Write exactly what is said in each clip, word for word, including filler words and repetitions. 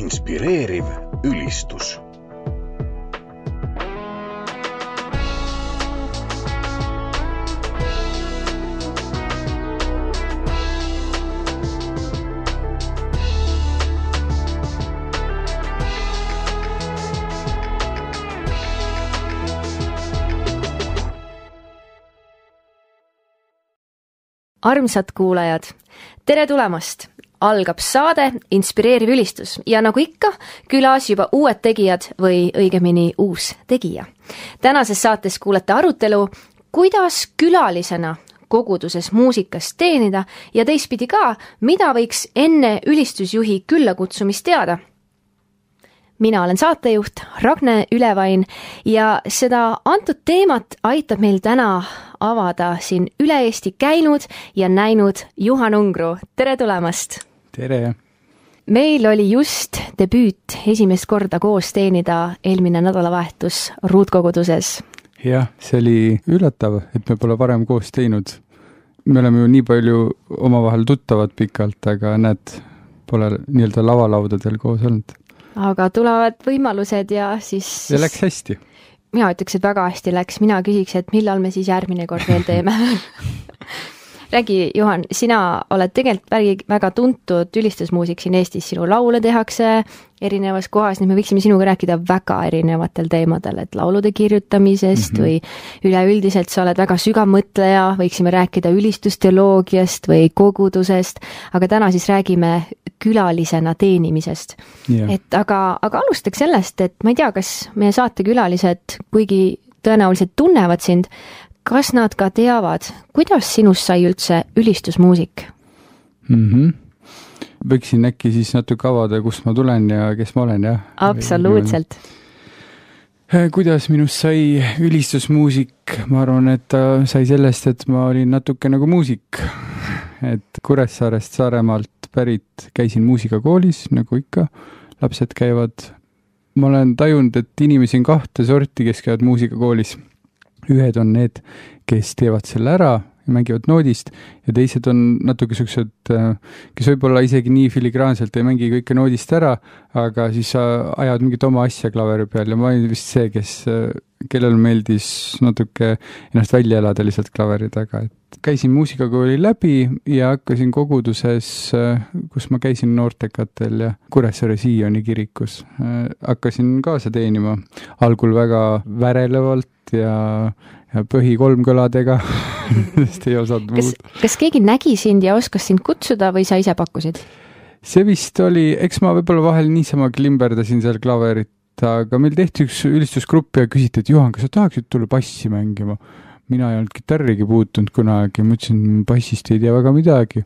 Inspireeriv ülistus. Armsad kuulajad, tere tulemast! Algab saade Inspireeriv ülistus ja nagu ikka, külas juba uued tegijad või õigemini uus tegija. Tänases saates kuulete arutelu, kuidas külalisena koguduses muusikast teenida ja teistpidi ka, mida võiks enne ülistusjuhi külla kutsumist teada. Mina olen saatejuht Ragne Ülevain ja seda antud teemat aitab meil täna avada siin üle Eesti käinud ja näinud Juhan Ungru. Tere tulemast! Tere! Meil oli just debüüt esimest korda koos teenida eelmine nädalavahetus ruutkoguduses. Jah, see oli üllatav, et me pole varem koos teinud. Me oleme ju nii palju omavahel tuttavad pikalt, aga näed, pole nii-öelda lavalaudadel koos olnud. Aga tulevad võimalused ja siis... Ja läks hästi. Mina ütleks, et väga hästi läks. Mina küsiks, et millal me siis järgmine kord veel teeme. Räägi, Juhan, sina oled tegelikult väga tuntud ülistusmuusik siin Eestis. Sinu laule tehakse erinevas kohas, nii me võiksime sinuga rääkida väga erinevatel teemadel, et laulude kirjutamisest mm-hmm. või üleüldiselt sa oled väga sügav mõtleja, võiksime rääkida ülistusteoloogiast või kogudusest, aga täna siis räägime külalisena teenimisest. Yeah. Et aga, aga alustaks sellest, et ma ei tea, kas meie saatekülalised, kuigi tõenäoliselt tunnevad sind, kas nad ka teavad, kuidas sinust sai üldse ülistusmuusik? Mhm. Võiksin äkki siis natuke avada, kust ma tulen ja kes ma olen, jah? Absoluutselt. Kuidas minust sai ülistusmuusik? Ma arvan, et ta sai sellest, et ma olin natuke nagu muusik. Et Kuressaarest Saaremaalt pärit käisin muusikakoolis, nagu ikka, lapsed käivad. Ma olen tajunud, et inimesi on kahte sorti, kes käivad muusikakoolis. Ühed on need, kes teevad selle ära ja mängivad noodist ja teised on natuke sellised, kes võib-olla isegi nii filigraanselt ei mängi kõike noodist ära, aga siis sa ajad mingit oma asja klaveri peal ja ma olin vist see, kes, kellel meeldis natuke ennast välja elada lihtsalt klaveri taga. Et käisin muusikakooli läbi ja hakkasin koguduses, kus ma käisin noortekatel ja Kuressaare Sioni kirikus. Hakkasin kaasa teenima algul väga värelevalt ja ja põhi kolmkõladega, sest ei osanud kas, muud. Kas keegi nägi sind ja oskas sind kutsuda või sa ise pakkusid? See vist oli, eks ma võib-olla vahel niisama klimberdasin seal klaverit, aga meil tehti üks ülistusgrupp ja küsiti, et Juhan, kas sa tahaksid tulla bassi mängima? Mina ei olnud kitarrigi puutunud kunagi, mõtlesin, bassist ei tea väga midagi.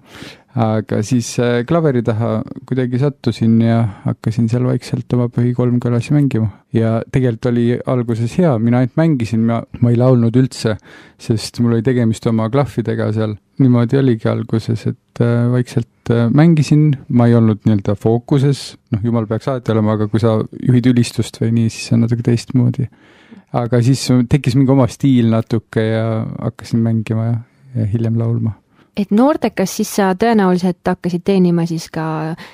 Aga siis klaveri taha kuidagi sattusin ja hakkasin seal vaikselt oma põhi kolmkõlasi mängima. Ja tegelikult oli alguses hea, mina ainult mängisin, ma, ma ei laulnud üldse, sest mul oli tegemist oma klahvidega seal. Niimoodi oligi alguses, et vaikselt mängisin, ma ei olnud nii-öelda fookuses, noh, jumal peaks alati olema, aga kui sa juhid ülistust või nii, siis on natuke teistmoodi. Aga siis tekkis mingi oma stiil natuke ja hakkasin mängima ja, ja hiljem laulma. Et noortekas siis sa tõenäoliselt hakkasid teenima siis ka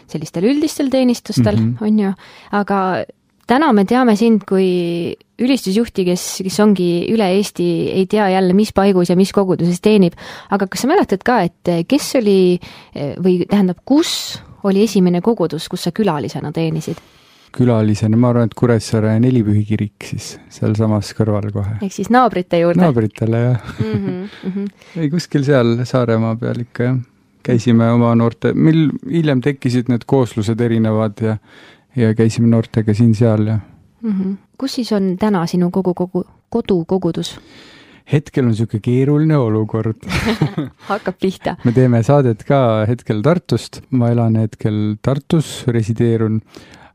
sellistel üldistel teenistustel, mm-hmm. on ju, aga täna me teame sind kui ülistusjuhti, kes, kes ongi üle Eesti, ei tea jälle, mis paigus ja mis koguduses teenib, aga kas sa mäletad ka, et kes oli või tähendab, kus oli esimene kogudus, kus sa külalisena teenisid? Külalisena, ma arvan, et Kuressaare Nelipühi kirik siis seal samas kõrval kohe. Ehk siis naabrite juurde? Naabritele, jah. Mm-hmm, mm-hmm. Ei, kuskil seal Saaremaa peal ikka, jah. Käisime oma noorte, meil hiljem tekkisid need kooslused erinevad ja, ja käisime noortega siin seal. Ja. Mm-hmm. Kus siis on täna sinu kogu, kogu, kodukogudus? Hetkel on siuke keeruline olukord. Hakkab pihta. Me teeme saadet ka hetkel Tartust. Ma elan hetkel Tartus, resideerun.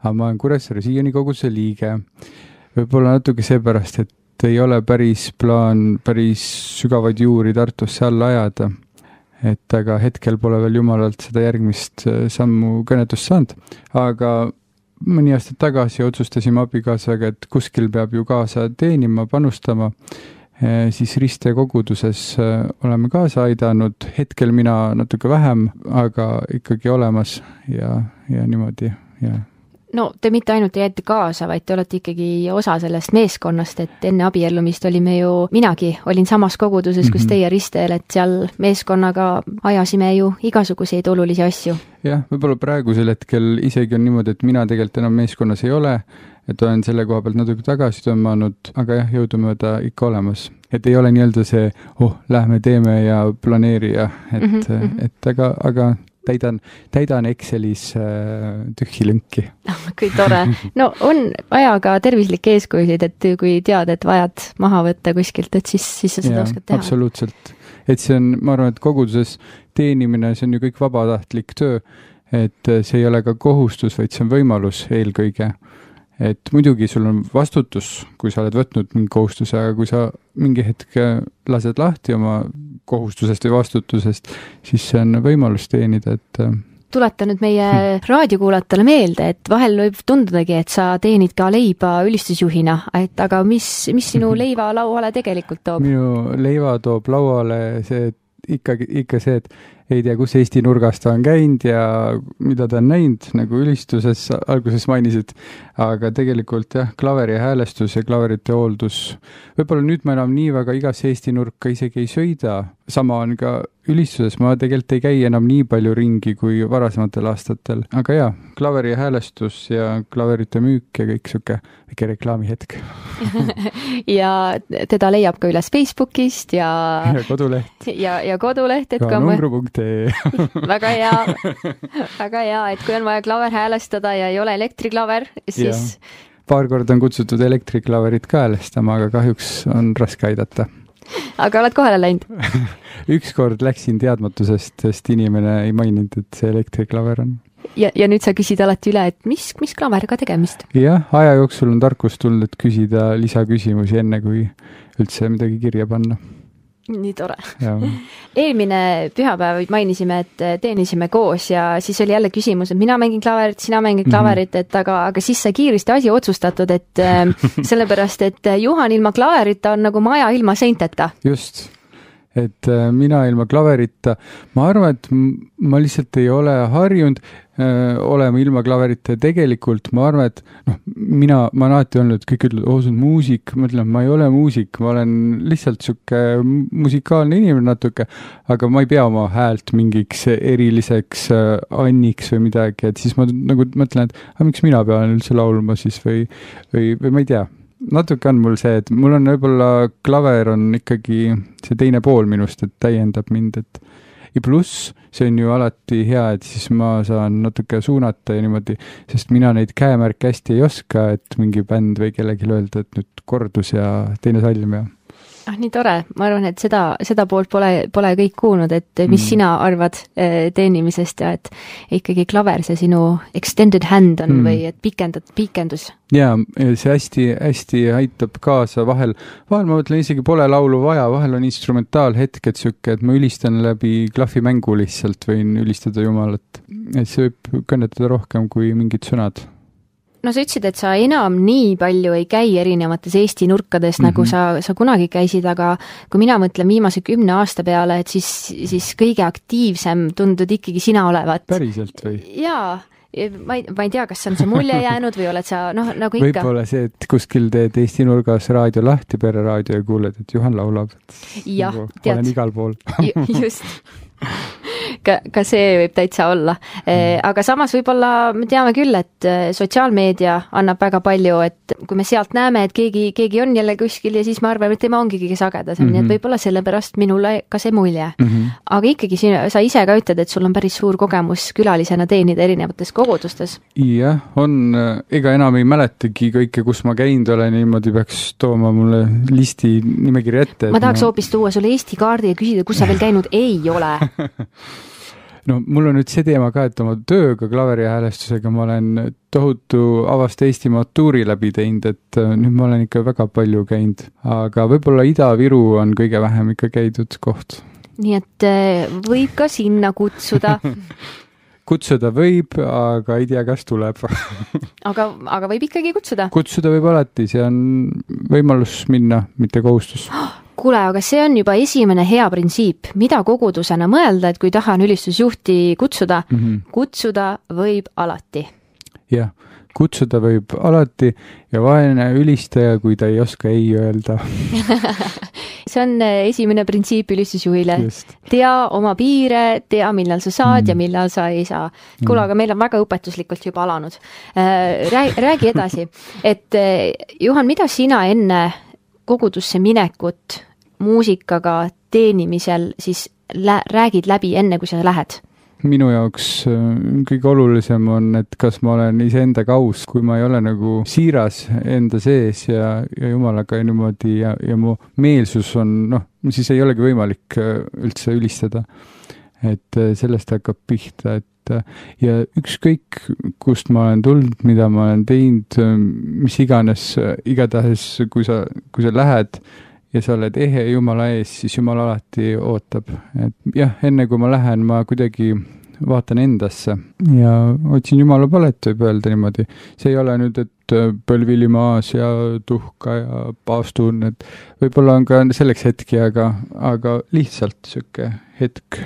Aga ma olen Kuressaare Sioni koguduse liige. Võib-olla natuke seepärast, et ei ole päris plaan päris sügavaid juuri Tartusse alla ajada. Et aga hetkel pole veel jumalalt seda järgmist sammu kõnetust saanud. Aga mõni aasta tagasi otsustasime abikaasaga, et kuskil peab ju kaasa teenima, panustama. Siis Riste koguduses oleme kaasa aidanud. Hetkel mina natuke vähem, aga ikkagi olemas ja, ja niimoodi, jah. no te mitte ainult ei jäeti kaasa, vaid te olete ikkagi osa sellest meeskonnast, et enne abiellumist olime ju, minagi olin samas koguduses, kus teie Ristel, et seal meeskonnaga ajasime ju igasuguseid olulisi asju. Jah, võib-olla praegusel hetkel isegi on niimoodi, et mina tegelikult enam meeskonnas ei ole, et olen selle koha pealt natuke tagasi tõmmanud, aga jah, jõudumööda ikka olemas. Et ei ole nii-öelda see, oh, lähme teeme ja planeerija, et, mm -hmm. et aga, aga täidan, täidan Excelis äh, tühji lünki. Kui tore. No on vaja ka tervislikke eeskujusid, et kui tead, et vajad maha võtta kuskilt, et siis, siis sa seda ja, oskad teha. Absoluutselt. Et see on, ma arvan, et koguduses teenimine, see on ju kõik vabatahtlik töö, et see ei ole ka kohustus, vaid see on võimalus eelkõige. Et muidugi sul on vastutus, kui sa oled võtnud mingi kohustuse, aga kui sa mingi hetk lased lahti oma kohustusest või vastutusest, siis see on võimalus teenida, et tuleta nüüd meie hmm. raadiokuulajatele meelde, et vahel võib tundudagi, et sa teenid ka leiba ülistusjuhina, et aga mis, mis sinu leiva lauale tegelikult toob? Minu leiva toob lauale see, ikkagi, ikka see, et ei tea, kus Eesti nurgas ta on käinud ja mida ta on näinud, nagu ülistuses alguses mainisid, aga tegelikult jah, klaveri häälestus ja klaverite hooldus. Võib-olla nüüd ma enam nii väga igas Eesti nurka isegi ei sõida, sama on ka ülistuses, ma tegelikult ei käi enam nii palju ringi kui varasematel aastatel, aga jah, klaveri häälestus ja klaverite müük ja kõik siuke väike reklaamihetk. Ja teda leiab ka üles Facebookist ja ja koduleht. Ja, ja koduleht, et ka numbru punkt ee. Väga hea, väga hea, et kui on vaja klaver häälestada ja ei ole elektriklaver, siis... Ja. Paar korda on kutsutud elektriklaverit ka häälestama, aga kahjuks on raske aidata. Aga oled kohale läinud? Ükskord läksin teadmatusest, sest inimene ei maininud, et see elektriklaver on. Ja, ja nüüd sa küsid alati üle, et mis, mis klaveriga tegemist? Jah, aja jooksul on tarkus tulnud, et küsida lisaküsimusi enne, kui üldse midagi kirja panna. Nii tore. Eelmine pühapäev mainisime, et teenisime koos ja siis oli jälle küsimus, et mina mängin klaverit, sina mängin klaverit, et aga, aga siis sai kiiresti asi otsustatud, et sellepärast, et Juhan ilma klaverita on nagu maja ilma seinteta. Just. Et mina ilma klaverita, ma arvan, et ma lihtsalt ei ole harjunud öö, olema ilma klaverita ja tegelikult ma arvan, et noh, mina, ma olen alati olnud, kõik ütlevad, oo, see on muusik, ma ütlen, ma ei ole muusik, ma olen lihtsalt siuke musikaalne inimene natuke, aga ma ei pea oma häält mingiks eriliseks äh, anniks või midagi, et siis ma nagu mõtlen, et aga miks mina pean üldse laulma siis või, või, või ma ei tea. Natuke on mul see, et mul on võib-olla klaver on ikkagi see teine pool minust, et täiendab mind, et ja pluss see on ju alati hea, et siis ma saan natuke suunata ja niimoodi, sest mina neid käemärke hästi ei oska, et mingi bänd või kellegi öelda, et nüüd kordus ja teine salm ja ah, nii tore, ma arvan, et seda, seda poolt pole, pole kõik kuulnud, et mis mm. sina arvad teenimisest ja et ikkagi klaver see sinu extended hand on mm. või et pikendad, pikendus. Jaa, see hästi, hästi aitab kaasa vahel, vahel ma mõtlen isegi pole laulu vaja, vahel on instrumentaalhetked siuke, et ma ülistan läbi klahvimängu lihtsalt, võin ülistada Jumalat, et see võib kõnetada rohkem kui mingid sõnad. No sa ütlesid, et sa enam nii palju ei käi erinevates Eesti nurkades, mm-hmm. nagu sa, sa kunagi käisid, aga kui mina mõtlen viimase kümne aasta peale, et siis, siis kõige aktiivsem tundud ikkagi sina olevat. Päriselt või? Jaa, ma ei, ma ei tea, kas on see mulje jäänud või oled sa, noh, nagu ikka. Võib-olla see, et kuskil teed Eesti nurgas raadio lahti, pereraadio ja kuuled, et Juhan laulab. Jah, nagu, tead. Olen igal pool. Just. Ka, ka see võib täitsa olla. Mm. Aga samas võib-olla me teame küll, et sotsiaalmeedia annab väga palju, et kui me sealt näeme, et keegi, keegi on jälle kuskil ja siis me arvame, et tema ongi kõige sagedasem, mm-hmm. nii et võib-olla sellepärast minule ka see mulje. Mm-hmm. Aga ikkagi sina, sa ise ka ütled, et sul on päris suur kogemus külalisena teenida erinevates kogudustes. Jah, on, ega enam ei mäletagi kõike, kus ma käinud olen, niimoodi peaks tooma mulle listi nimekiri ette. Ma tahaks ma... hoopis tuua sulle Eesti kaardi ja küsida, kus sa veel käinud ei ole. No mul on nüüd see teema ka, et oma tööga klaveri häälestusega ma olen tohutu avast Eestimaa tuuri läbi teinud, et nüüd ma olen ikka väga palju käinud, aga võib-olla Ida-Viru on kõige vähem ikka käidud koht. Nii et võib ka sinna kutsuda. Kutsuda võib, aga ei tea, kas tuleb. aga, aga võib ikkagi kutsuda? Kutsuda võib alati, see on võimalus minna, mitte kohustus. Kuule, aga see on juba esimene hea printsiip, mida kogudusena mõelda, et kui tahan ülistusjuhti kutsuda, mm-hmm. kutsuda võib alati. Jah, kutsuda võib alati ja vaene ülistaja, kui ta ei oska ei öelda. See on esimene printsiip ülistusjuhile. Just. Tea oma piire, tea millal sa saad mm. ja millal sa ei saa. Kuule, aga meil on väga õpetuslikult juba alanud. Räägi edasi, et Juhan, mida sina enne kogudusse minekut muusikaga teenimisel siis lä- räägid läbi enne, kui sa lähed? Minu jaoks kõige olulisem on, et kas ma olen iseendaga aus, kui ma ei ole nagu siiras enda sees ja, ja jumalaga niimoodi ja, ja mu meelsus on, noh, siis ei olegi võimalik üldse ülistada. Et sellest hakkab pihta, et ja ükskõik, kust ma olen tulnud, mida ma olen teinud, mis iganes, igatahes, kui sa, kui sa lähed ja sa oled ehe Jumala ees, siis Jumal alati ootab. Et jah, enne kui ma lähen, ma kuidagi vaatan endasse ja otsin Jumala palet, võib öelda niimoodi. See ei ole nüüd, et põlvili maas ja tuhka ja paastun, et võib-olla on ka selleks hetki, aga, aga lihtsalt söke hetk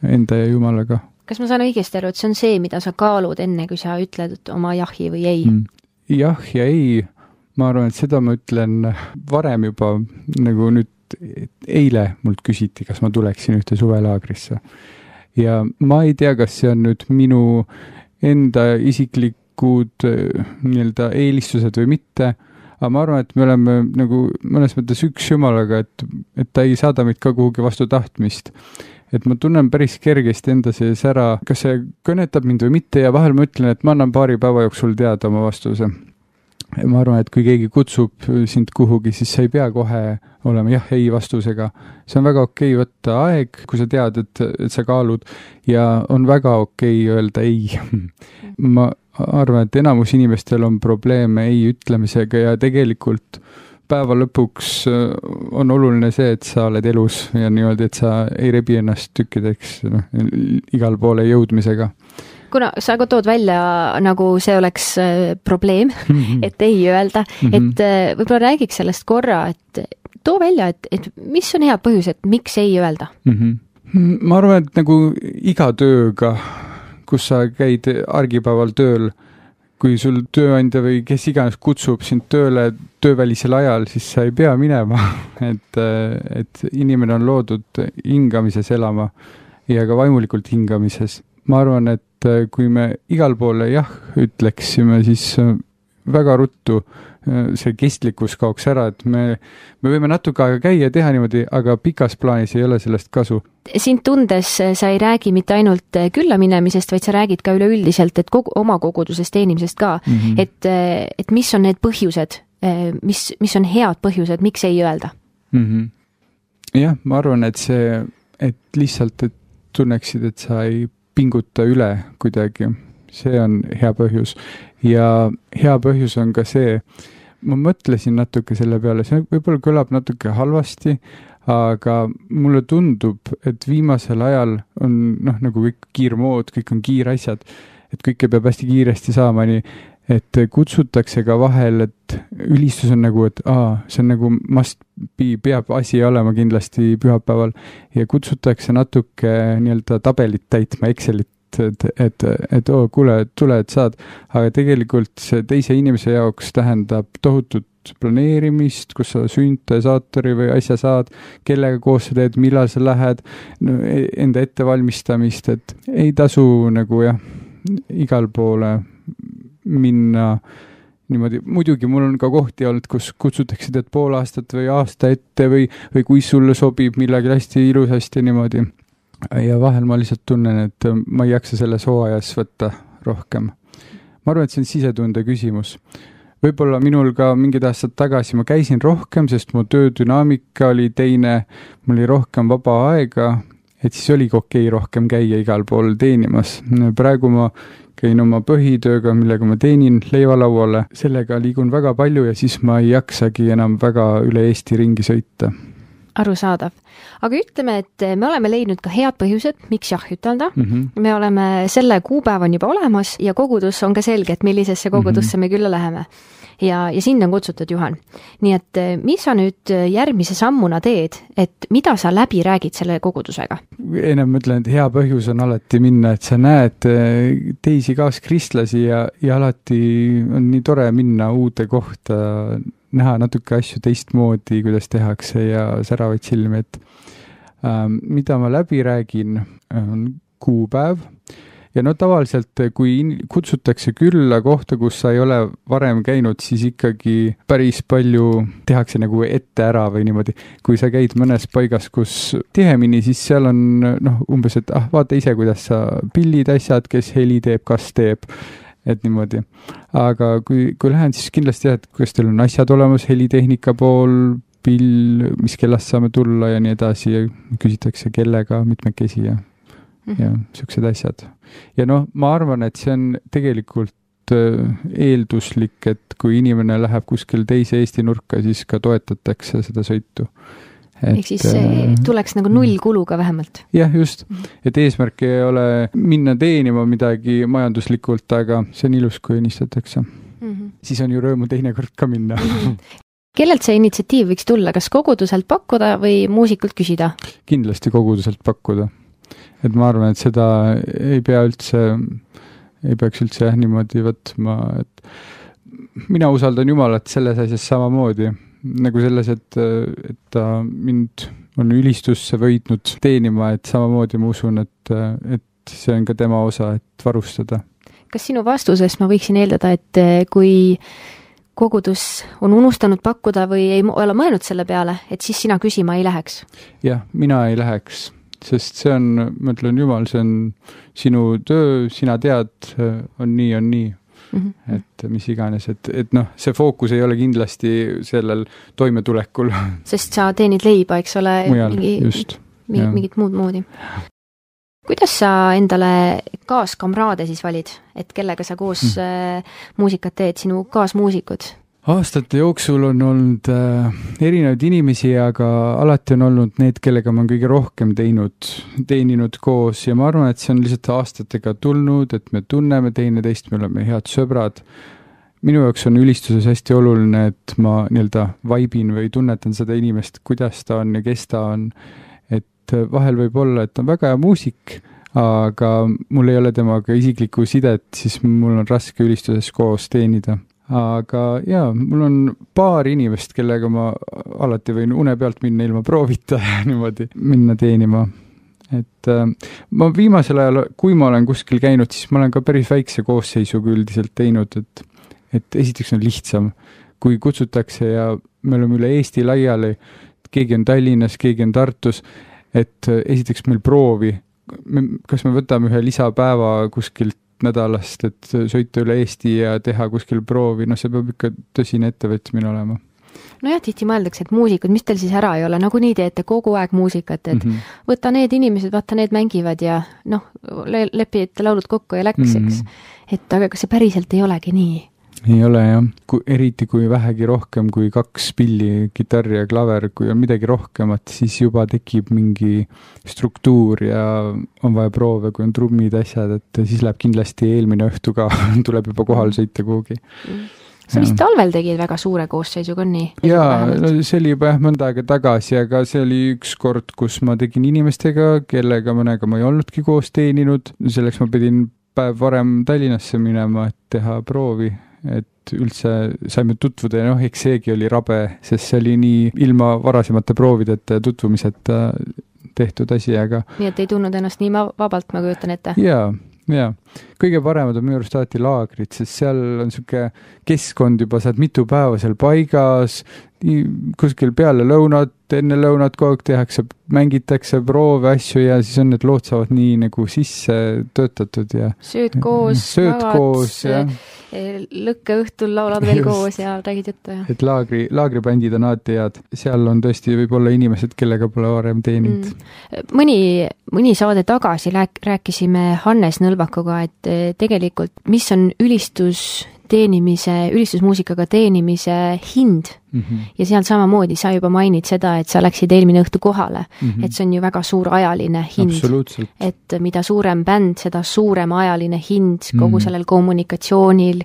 enda ja Jumalaga. Kas ma saan õigesti aru, et see on see, mida sa kaalud enne, kui sa ütled oma jahi või ei? Mm. Jah ja ei. Ma arvan, et seda ma ütlen varem juba, nagu nüüd eile mult küsiti, kas ma tuleksin ühte suvelaagrisse. Ja ma ei tea, kas see on nüüd minu enda isiklikud nii-öelda eelistused või mitte, aga ma arvan, et me oleme nagu mõnes mõttes üks Jumalaga, et, et ta ei saada meid ka kuhugi vastu tahtmist. Et ma tunnen päris kergesti enda sees ära, kas see kõnetab mind või mitte ja vahel ma ütlen, et ma annan paari päeva jooksul teada oma vastuse. Ma arvan, et kui keegi kutsub sind kuhugi, siis sa ei pea kohe olema jah, ei vastusega. See on väga okei võtta aeg, kui sa tead, et, et sa kaalud ja on väga okei öelda ei. Ma arvan, et enamus inimestel on probleeme ei ütlemisega ja tegelikult päeva lõpuks on oluline see, et sa oled elus ja niimoodi, et sa ei rebi ennast tükkideks no, igal poole jõudmisega. Kuna sa ka tood välja, nagu see oleks probleem, mm-hmm. et ei öelda, mm-hmm. et võib-olla räägiks sellest korra, et too välja, et, et mis on head põhjus, et miks ei öelda? Mm-hmm. Ma arvan, et nagu iga tööga, kus sa käid argipäeval tööl, kui sul tööandja või kes iganes kutsub sind tööle töövälisel ajal, siis sa ei pea minema, et, et inimene on loodud hingamises elama ja ka vaimulikult hingamises. Ma arvan, et kui me igal poole jah ütleksime, siis väga ruttu see kestlikkus kaoks ära, et me, me võime natuke aega käia ja teha niimoodi, aga pikas plaanis ei ole sellest kasu. Sind tundes sa ei räägi mitte ainult külla minemisest, vaid sa räägid ka üleüldiselt, et kogu, oma kogudusest teenimisest ka, mm-hmm. et, et mis on need põhjused, mis, mis on head põhjused, miks ei öelda? Mm-hmm. Jah, ma arvan, et see, et lihtsalt et tunneksid, et sa ei pinguta üle kuidagi. See on hea põhjus. Ja hea põhjus on ka see, ma mõtlesin natuke selle peale, see võib-olla kõlab natuke halvasti, aga mulle tundub, et viimasel ajal on noh, nagu kõik kiirmood, kõik on kiirasjad, et kõike peab hästi kiiresti saama, nii et kutsutakse ka vahel, et ülistus on nagu, et aa, see on nagu must be, peab asi olema kindlasti pühapäeval ja kutsutakse natuke nii-öelda tabelit täitma, Excelit, et, et, et oo, kuule, tule, et saad, aga tegelikult see teise inimese jaoks tähendab tohutut planeerimist, kus sa süntesaatori või asja saad, kellega koos sa teed, millal sa lähed, no, enda ettevalmistamist, et ei tasu nagu jah, igal poole minna niimoodi, muidugi mul on ka kohti olnud, kus kutsutakse teed pool aastat või aasta ette või, või kui sulle sobib millagi hästi ilusasti niimoodi. Ja vahel ma lihtsalt tunnen, et ma ei jaksa selles hooajas võtta rohkem. Ma arvan, et see on sisetunde küsimus. Võib-olla minul ka mingid aastad tagasi ma käisin rohkem, sest mu töödünaamika oli teine, mul oli rohkem vaba aega, et siis oligi okei rohkem käia igal pool teenimas. Praegu ma käin oma põhitööga, millega ma teenin leivalauale, sellega liigun väga palju ja siis ma ei jaksagi enam väga üle Eesti ringi sõita. Arusaadav. Aga ütleme, et me oleme leidnud ka head põhjused, miks jah ütelda. Mm -hmm. Me oleme selle kuupäev on juba olemas ja kogudus on ka selge, et millisesse kogudusse mm -hmm. me külla läheme. Ja, ja sind on kutsutud, Juhan. Nii et mis sa nüüd järgmise sammuna teed, et mida sa läbi räägid selle kogudusega? Ennem mõtlen, et hea põhjus on alati minna, et sa näed teisi kaaskristlasi ja, ja alati on nii tore minna uude kohta, näha natuke asju teistmoodi, kuidas tehakse ja säravaid silmi, et ähm, mida ma läbi räägin, on kuupäev. Ja no tavaliselt, kui kutsutakse külla kohta, kus sa ei ole varem käinud, siis ikkagi päris palju tehakse nagu ette ära või niimoodi. Kui sa käid mõnes paigas, kus tihemini, siis seal on noh, umbes, et ah, vaata ise, kuidas sa pillid asjad, kes heli teeb, kas teeb, et niimoodi. Aga kui, kui lähen, siis kindlasti jah, et kuidas teil on asjad olemas, helitehnika pool, pill, mis kellast saame tulla ja nii edasi ja küsitakse kellega, mitmekesi ja ja siuksed asjad. Ja noh, ma arvan, et see on tegelikult eelduslik, et kui inimene läheb kuskil teise Eesti nurka, siis ka toetatakse seda sõitu. Ehk siis see tuleks nagu nullkuluga vähemalt. Jah, just. Et eesmärk ei ole minna teenima midagi majanduslikult, aga see on ilus, kui õnnistatakse. Mm -hmm. Siis on ju rõõmu teinekord ka minna. Mm -hmm. Kellelt see initsiatiiv võiks tulla? Kas koguduselt pakkuda või muusikult küsida? Kindlasti koguduselt pakkuda. Et ma arvan, et seda ei pea üldse, ei peaks üldse jah niimoodi võtma, et mina usaldan Jumalat selles asjas samamoodi, nagu selles, et, et ta mind on ülistusse võidnud teenima, et samamoodi ma usun, et, et see on ka tema osa, et varustada. Kas sinu vastusest ma võiksin eeldada, et kui kogudus on unustanud pakkuda või ei ole mõelnud selle peale, et siis sina küsima ei läheks? Jah, mina ei läheks. Sest see on, ma ütlen, Jumal, see on sinu töö, sina tead, on nii, on nii. Mm-hmm. Et mis iganes, et, et noh, see fookus ei ole kindlasti sellel toimetulekul. Sest sa teenid leiba, eks ole, mujal, mingi, just, mingi, mingit muud moodi. Kuidas sa endale kaaskamraade siis valid, et kellega sa koos mm. muusikat teed, sinu kaasmuusikud? Aastate jooksul on olnud äh, erinevaid inimesi, aga alati on olnud need, kellega ma kõige rohkem teinud, teeninud koos ja ma arvan, et see on lihtsalt aastatega tulnud, et me tunneme teineteist, me oleme head sõbrad. Minu jaoks on ülistuses hästi oluline, et ma nii-öelda vaibin või tunnetan seda inimest, kuidas ta on ja kes ta on. Et vahel võib olla, et on väga hea muusik, aga mul ei ole temaga isiklikku sidet, siis mul on raske ülistuses koos teenida. Aga jaa, mul on paar inimest, kellega ma alati võin une pealt minna ilma proovita ja niimoodi minna teenima. Et äh, ma viimasel ajal, kui ma olen kuskil käinud, siis ma olen ka päris väikse koosseisuga üldiselt teinud, et, et esiteks on lihtsam, kui kutsutakse ja me oleme üle Eesti laiali, keegi on Tallinnas, keegi on Tartus, et esiteks meil proovi, me, kas me võtame ühe lisapäeva kuskilt nädalast, et sõita üle Eesti ja teha kuskil proovi, no see peab ikka tõsine ettevõtmine olema. No jah, tihti mõeldakse, et muusikud, mis teil siis ära ei ole, nagu nii teete kogu aeg muusikat, et mm -hmm. võta need inimesed, vaata need mängivad ja noh, le lepite laulud kokku ja läks, eks. Mm -hmm. Et aga kas see päriselt ei olegi nii? Ei ole jah, kui, eriti kui vähegi rohkem kui kaks pilli, kitarr ja klaver, kui on midagi rohkemat, siis juba tekib mingi struktuur ja on vaja proove, kui on trummid, asjad, et siis läheb kindlasti eelmine õhtu ka, tuleb juba kohal sõita kuhugi. Sa vist talvel tegid väga suure koosseisuga, on nii? Jaa, no see oli juba jah mõnda aega tagasi, aga see oli üks kord, kus ma tegin inimestega, kellega mõnega ma ei olnudki koos teeninud. Selleks ma pidin päev varem Tallinnasse minema, et teha proovi. Et üldse saime tutvuda ja noh, eks seegi oli rabe, sest see oli nii ilma varasemate proovideta ja tutvumiseta tehtud asi, aga... Nii, et ei tunnud ennast nii vabalt, ma kujutan ette? Jaa, jaa. Kõige paremad on minu arust alati laagrid, sest seal on siuke keskkond juba, saad mitu päeva seal paigas, kuskil peale lõunat, enne lõunat kogu aeg tehakse, mängitakse proove, asju ja siis on need lood saavad nii nagu sisse töötatud ja... Sööd koos, sööd magad, koos, ja... lõkke õhtul laulad veel Just. koos ja räägid juttu. Ja. Et laagri, laagribändid on alati head. Seal on tõesti võib-olla inimesed, kellega pole varem teeninud. Mm. Mõni, mõni saade tagasi rääk, rääkisime Hannes Nõlvakuga, et tegelikult mis on ülistus teenimise, ülistusmuusikaga teenimise hind mm -hmm. ja seal samamoodi sa juba mainid seda, et sa läksid eelmine õhtu kohale, mm -hmm. et see on ju väga suur ajaline hind. Et mida suurem bänd, seda suurem ajaline hind kogu mm -hmm. sellel kommunikatsioonil,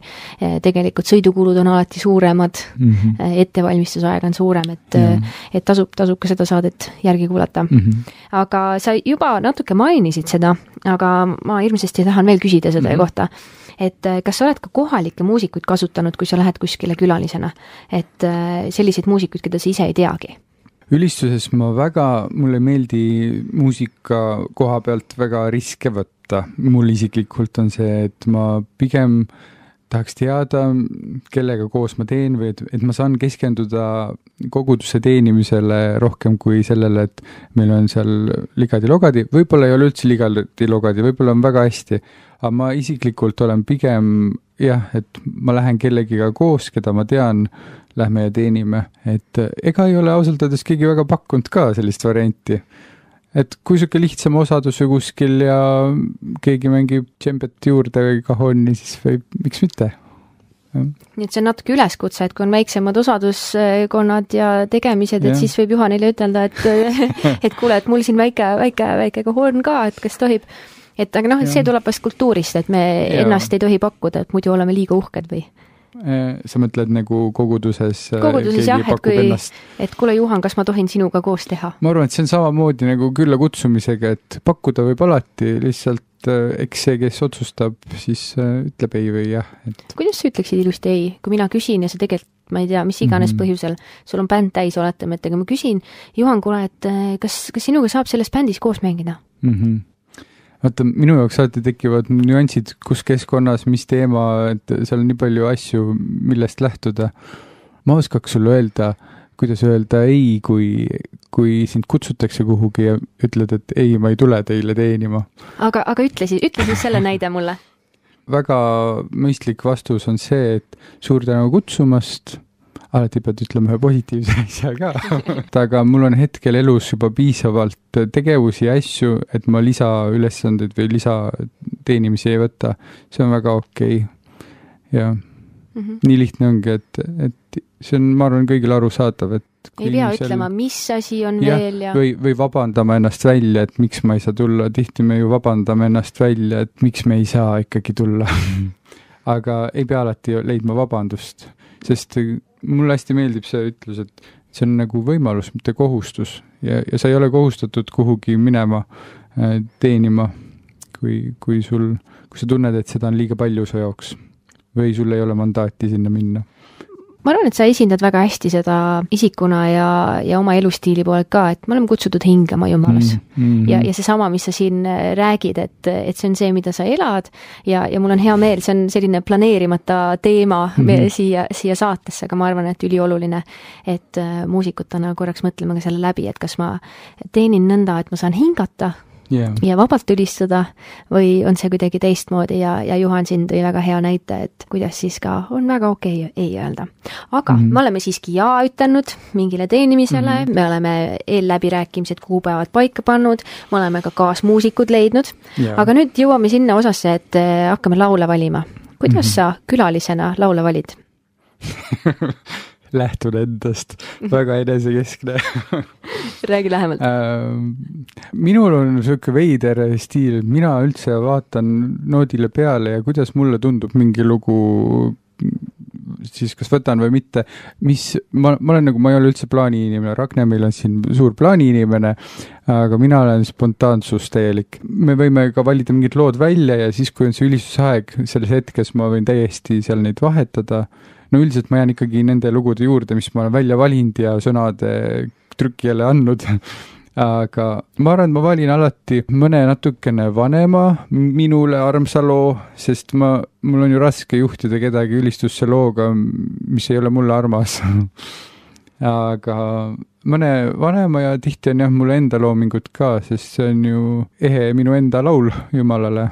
tegelikult sõidukulud on alati suuremad mm, -hmm. ettevalmistusaeg on suurem, et, yeah. et tasub, tasub ka seda saadet järgi kuulata mm. -hmm. Aga sa juba natuke mainisid seda, aga ma hirmsasti tahan veel küsida seda mm -hmm. kohta, et kas sa oled ka kohalikke muusikuid kasutanud, kui sa lähed kuskile külalisena, et selliseid muusikuid, keda sa ise ei teagi? Ülistuses ma väga, mulle ei meeldi muusika koha pealt väga riske võtta. Mul isiklikult on see, et ma pigem tahaks teada, kellega koos ma teen või et, et ma saan keskenduda koguduse teenimisele rohkem kui sellele, et meil on seal ligadi-logadi, võib-olla ei ole üldse ligadi-logadi, võib-olla on väga hästi, aga ma isiklikult olen pigem jah, et ma lähen kellegiga koos, keda ma tean, lähme ja teenime, et ega ei ole ausalt öeldes keegi väga pakkunud ka sellist varianti. Et kui siuke lihtsam osadus või kuskil ja keegi mängib džembet juurde või kahonni, siis võib, miks mitte? Nii et see on natuke üleskutse, et kui on väiksemad osaduskonnad ja tegemised, et ja. Siis võib Juhanile ütelda, et, et kuule, et mul siin väike, väike, väike kahorn ka, et kas tohib. Et aga noh, et see tuleb vast kultuurist, et me ja. Ennast ei tohi pakkuda, et muidu oleme liiga uhked või? Sa mõtled nagu koguduses, koguduses jah, et kui, ennast. Et kuule Juhan, kas ma tohin sinuga koos teha? Ma arvan, et see on samamoodi nagu külla kutsumisega, et pakkuda võib alati, lihtsalt eks see, kes otsustab, siis ütleb ei või jah. Et... Kuidas sa ütleksid ilusti ei, kui mina küsin ja sa tegelikult, ma ei tea, mis iganes mm -hmm. põhjusel, sul on bänd täis, oletame, et aga ma küsin, Juhan, kuule, et kas, kas sinuga saab selles bändis koos mängida? Mhm. Mm Vaata, minu jaoks alati tekivad nüansid, kus keskkonnas, mis teema, et seal on nii palju asju, millest lähtuda. Ma oskaks sulle öelda, kuidas öelda ei, kui, kui sind kutsutakse kuhugi ja ütled, et ei, ma ei tule teile teenima. Aga, aga ütle siis, ütle siis selle näide mulle. Väga mõistlik vastus on see, et suur tänu kutsumast, alati pead ütlema ühe positiivse asja ka. Aga mul on hetkel elus juba piisavalt tegevusi ja asju, et ma lisaülesandeid või lisateenimisi ei võta. See on väga okei. Okay. Ja mm -hmm. nii lihtne ongi, et, et see on, ma arvan, kõigil arusaadav, et ei pea seal... ütlema, mis asi on ja, veel ja... Või, või vabandama ennast välja, et miks ma ei saa tulla. Tihti me ju vabandame ennast välja, et miks me ei saa ikkagi tulla. Aga ei pea alati leidma vabandust, sest mulle hästi meeldib see ütlus, et see on nagu võimalus, mitte kohustus ja, ja sa ei ole kohustatud kuhugi minema teenima, kui, kui sul, kui sa tunned, et seda on liiga palju su jaoks või sul ei ole mandaati sinna minna. Ma arvan, et sa esindad väga hästi seda isikuna ja, ja oma elustiili poolelt ka, et me oleme kutsutud hingama Jumalas. Mm, mm, ja, ja see sama, mis sa siin räägid, et, et see on see, mida sa elad ja, ja mul on hea meel, see on selline planeerimata teema mm. siia, siia saatesse, aga ma arvan, et ülioluline, et muusikutena korraks mõtleme ka selle läbi, et kas ma teenin nõnda, et ma saan hingata Yeah. ja vabalt ülistada või on see kuidagi teistmoodi ja, ja Juhan siin tõi väga hea näite, et kuidas siis ka on väga okei okay ei öelda. Aga mm -hmm. me oleme siiski jaa ütelnud mingile teenimisele, mm -hmm. me oleme eelläbirääkimised kuupäevad paika pannud, me oleme ka kaasmuusikud leidnud, yeah. aga nüüd jõuame sinna osasse, et hakkame laule valima. Kuidas mm -hmm. sa külalisena laule valid? Lähtun endast, väga enesekeskne. Räägi lähemalt. Minul on niisugune veider stiil, mina üldse vaatan noodile peale ja kuidas mulle tundub mingi lugu, siis kas võtan või mitte, mis, ma, ma olen nagu, ma ei ole üldse plaani inimene, Ragne meil on siin suur plaani inimene, aga mina olen spontaansus täielik. Me võime ka valida mingid lood välja ja siis, kui on see ülistusaeg, selles hetkes ma võin täiesti seal neid vahetada. No üldiselt ma jään ikkagi nende lugude juurde, mis ma olen välja valinud ja sõnade trükki jälle andnud. Aga ma arvan, et ma valin alati mõne natukene vanema minule armsa loo, sest ma, mul on ju raske juhtida kedagi ülistusse looga, mis ei ole mulle armas. Aga mõne vanema ja tihti on jah mulle enda loomingud ka, sest see on ju ehe minu enda laul Jumalale.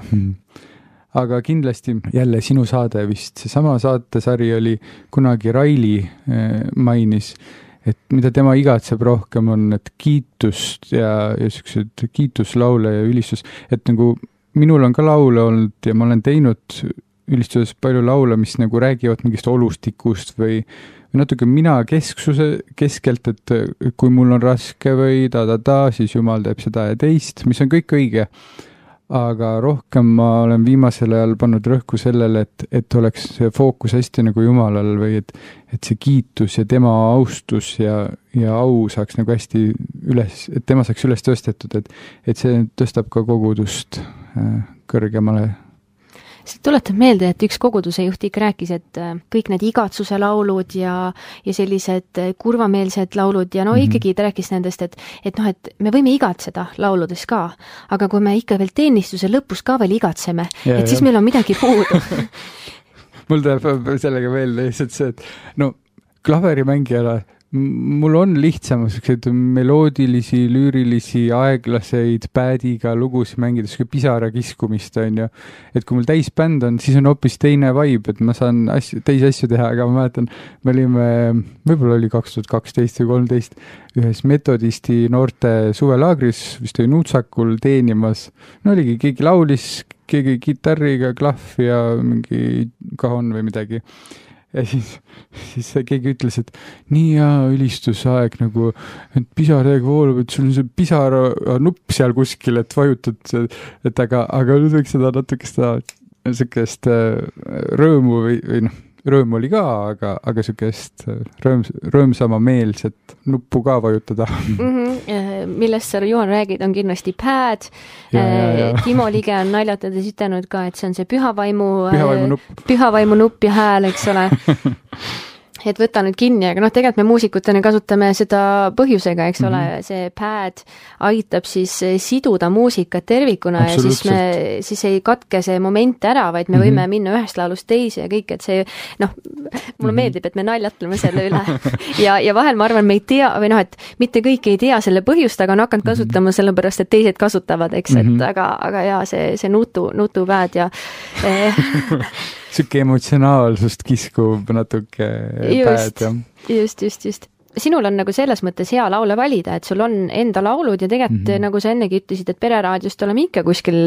Aga kindlasti jälle sinu saade vist, seesama saatesari oli kunagi Raili mainis, et mida tema igatseb rohkem on, et kiitust ja, ja sellised kiituslaule ja ülistus, et nagu minul on ka laule olnud ja ma olen teinud ülistuses palju laule, mis nagu räägivad mingist olustikust või, või natuke mina kesksuse keskelt, et kui mul on raske või ta-ta-ta, siis Jumal teeb seda ja teist, mis on kõik õige. Aga rohkem ma olen viimasel ajal pannud rõhku sellele, et, et oleks see fookus hästi nagu Jumalal või et, et see kiitus ja tema austus ja, ja au saaks nagu hästi üles, et tema saaks üles tõstetud, et, et see tõstab ka kogudust äh, kõrgemale. See tuletab meelde, et üks koguduse juht ikka rääkis, et kõik need igatsuse laulud ja, ja sellised kurvameelsed laulud ja no mm-hmm. ikkagi ta rääkis nendest, et, et noh, et me võime igatseda lauludes ka, aga kui me ikka veel teenistuse lõpus ka veel igatseme, ja, et siis ja. Meil on midagi puudu. Mul tuleb sellega veel lihtsalt see, et no klaverimängijale mul on lihtsam sellised meloodilisi, lüürilisi, aeglaseid päädiga lugusid mängida, selline pisara kiskumist on ju. Et kui mul täisbänd on, siis on hoopis teine vibe, et ma saan asju, teisi asju teha, aga ma mäletan, me olime, võib-olla oli kaks tuhat kaksteist või kolmteist ühes metodisti noorte suvelaagris, vist oli Nuutsakul teenimas. No oligi, keegi laulis, keegi kitarriga, klahv ja mingi kahon või midagi. Ja siis, siis keegi ütles, et nii hea ülistusaeg nagu, et pisaraga voolub, et sul on see pisara nupp seal kuskil, et vajutad, et aga, aga nüüd võiks seda natuke seda sellist rõõmu või, või noh, rõõm oli ka, aga, aga sellist rõõms, rõõmsama meelset nuppu ka vajutada. Mm-hmm. Millest sa, Juhan, räägid, on kindlasti pad. Ja, ja, ja. Timo Lige on naljatades ütelnud ka, et see on see pühavaimu, pühavaimu nupp, pühavaimu nupp ja hääl, eks ole. Et võta nüüd kinni, aga noh, tegelikult me muusikutena kasutame seda põhjusega, eks ole, mm-hmm. see pad aitab siis siduda muusikat tervikuna ja siis me, siis ei katke see moment ära, vaid me võime mm-hmm. minna ühest laulust teise ja kõik, et see, noh, mulle mm-hmm. meeldib, et me naljatleme selle üle ja, ja vahel ma arvan, me ei tea, või noh, et mitte kõik ei tea selle põhjust, aga on hakanud kasutama mm-hmm. sellepärast, et teised kasutavad, eks, et mm-hmm. aga, aga jaa, see, see nutu, nutu pad ja eh, siuke emotsionaalsust kiskub natuke just, päed, jah. Just, just, just. Sinul on nagu selles mõttes hea laule valida, et sul on enda laulud ja tegelikult mm-hmm. nagu sa ennegi ütlesid, et Pereraadiost oleme ikka kuskil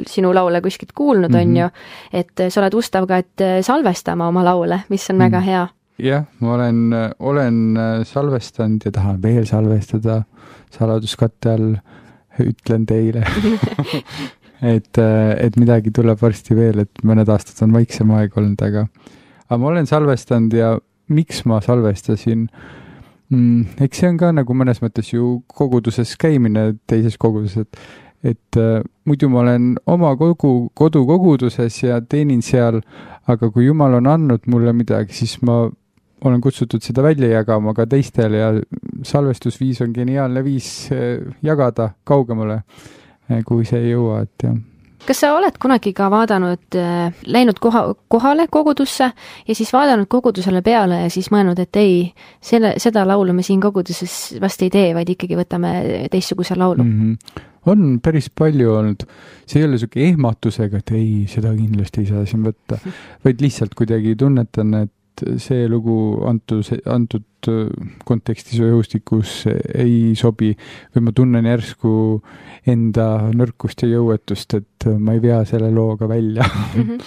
sinu laule kuskilt kuulnud mm-hmm. on ju, et sa oled ustav ka, et salvestama oma laule, mis on mm-hmm. väga hea. Jah, ma olen, olen salvestanud ja tahan veel salvestada saladuskatte all, ütlen teile. Et, et midagi tuleb varsti veel, et mõned aastad on vaiksem aeg olnud, aga, aga ma olen salvestanud ja miks ma salvestasin? Mm, eks see on ka nagu mõnes mõttes ju koguduses käimine teises koguduses, et, et äh, muidu ma olen oma kogu, kodukoguduses ja teenin seal, aga kui Jumal on andnud mulle midagi, siis ma olen kutsutud seda välja jagama ka teistele ja salvestusviis on geniaalne viis jagada kaugemale, kui see ei jõua, et jah. Kas sa oled kunagi ka vaadanud, läinud koha, kohale kogudusse ja siis vaadanud kogudusele peale ja siis mõelnud, et ei, selle, seda laulu me siin koguduses vast ei tee, vaid ikkagi võtame teistsuguse laulu? Mm-hmm. On päris palju olnud. See ei ole selline ehmatusega, et ei, seda kindlasti ei saa siin võtta, vaid lihtsalt kuidagi tunnetan, et see lugu antud, antud kontekstis või õhustikus ei sobi või ma tunnen järsku enda nõrkust ja jõuetust, et ma ei vea selle looga välja. Mm-hmm.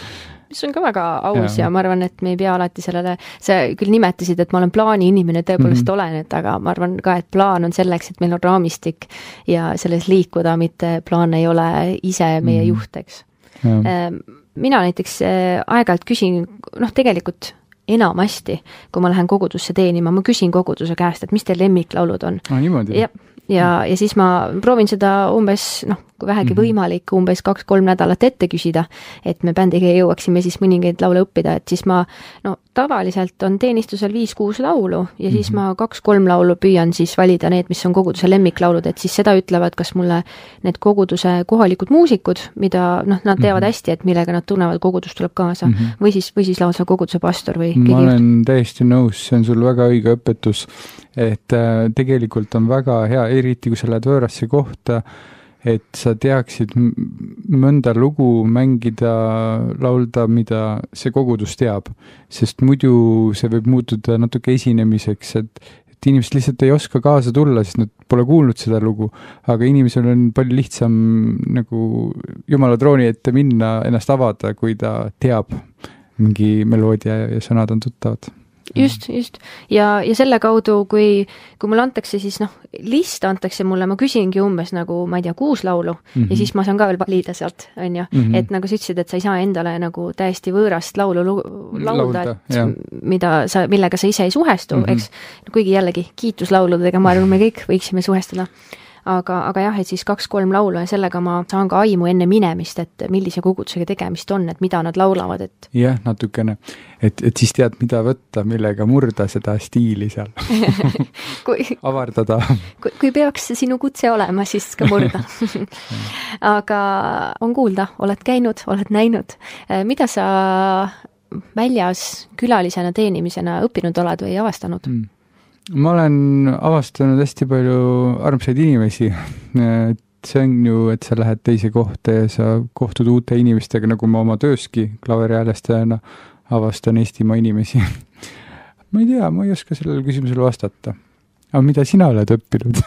Mis on ka väga aus ja. ja ma arvan, et me ei pea alati sellele, sa küll nimetasid, et ma olen plaani inimene, tõepoolest mm-hmm. olen, et aga ma arvan ka, et plaan on selleks, et meil on raamistik ja selles liikuda, mitte plaan ei ole ise meie mm-hmm. juht, eks. Ja. Mina näiteks aeg-ajalt küsin, noh tegelikult enamasti, kui ma lähen kogudusse teenima, ma küsin koguduse käest, et mis teil lemmiklaulud on. Ah, niimoodi? Ja, ja, ja siis ma proovin seda umbes, noh, kui vähegi mm-hmm. võimalik, umbes kaks-kolm nädalat ette küsida, et me bändiga jõuaksime siis mõningaid laule õppida, et siis ma, no tavaliselt on teenistusel viis-kuus laulu ja siis mm-hmm. ma kaks-kolm laulu püüan siis valida need, mis on koguduse lemmiklaulud, et siis seda ütlevad kas mulle need koguduse kohalikud muusikud, mida, noh, nad teavad mm-hmm. hästi, et millega nad tunnevad, kogudus tuleb kaasa mm-hmm. või siis, või siis lausa koguduse pastor või ma olen juht. Täiesti nõus, see on sul väga õige õpetus, et äh, tegelikult on väga hea, eriti kui sa lähed võõrasse kohta, et sa teaksid mõnda lugu mängida, laulda, mida see kogudus teab, sest muidu see võib muutuda natuke esinemiseks, et inimesed lihtsalt ei oska kaasa tulla, sest nad pole kuulnud seda lugu, aga inimesel on palju lihtsam nagu Jumala trooni ette minna, ennast avada, kui ta teab mingi meloodia ja sõnad on tuttavad. Just, just. Ja, ja selle kaudu, kui, kui mulle antakse siis, noh, list antakse mulle, ma küsingi umbes nagu, ma ei tea, kuus laulu mm-hmm. ja siis ma saan ka veel valida sealt, on ju. Mm-hmm. Et nagu sa ütlesid, et sa ei saa endale nagu täiesti võõrast laulu laulda, et mida sa, millega sa ise ei suhestu, mm-hmm. eks, kuigi jällegi kiituslauludega, ma arvan, me kõik võiksime suhestuda. Aga, aga jah, et siis kaks-kolm laulu ja sellega ma saan ka aimu enne minemist, et millise kogudusega tegemist on, et mida nad laulavad, et... Jah, natukene. Et, et siis tead, mida võtta, millega murda seda stiili seal. kui, Avardada. Kui, kui peaks sinu kutse olema, siis ka murda. Aga on kuulda, oled käinud, oled näinud. Mida sa väljas külalisena teenimisena õppinud oled või avastanud? Mm. Ma olen avastanud hästi palju armsaid inimesi. See on ju, et sa lähed teise kohta ja sa kohtud uute inimestega, nagu ma oma tööski klaveriäälestajana avastan Eestimaa inimesi. Ma ei tea, ma ei oska sellele küsimusele vastata. Aga mida sina oled õppinud?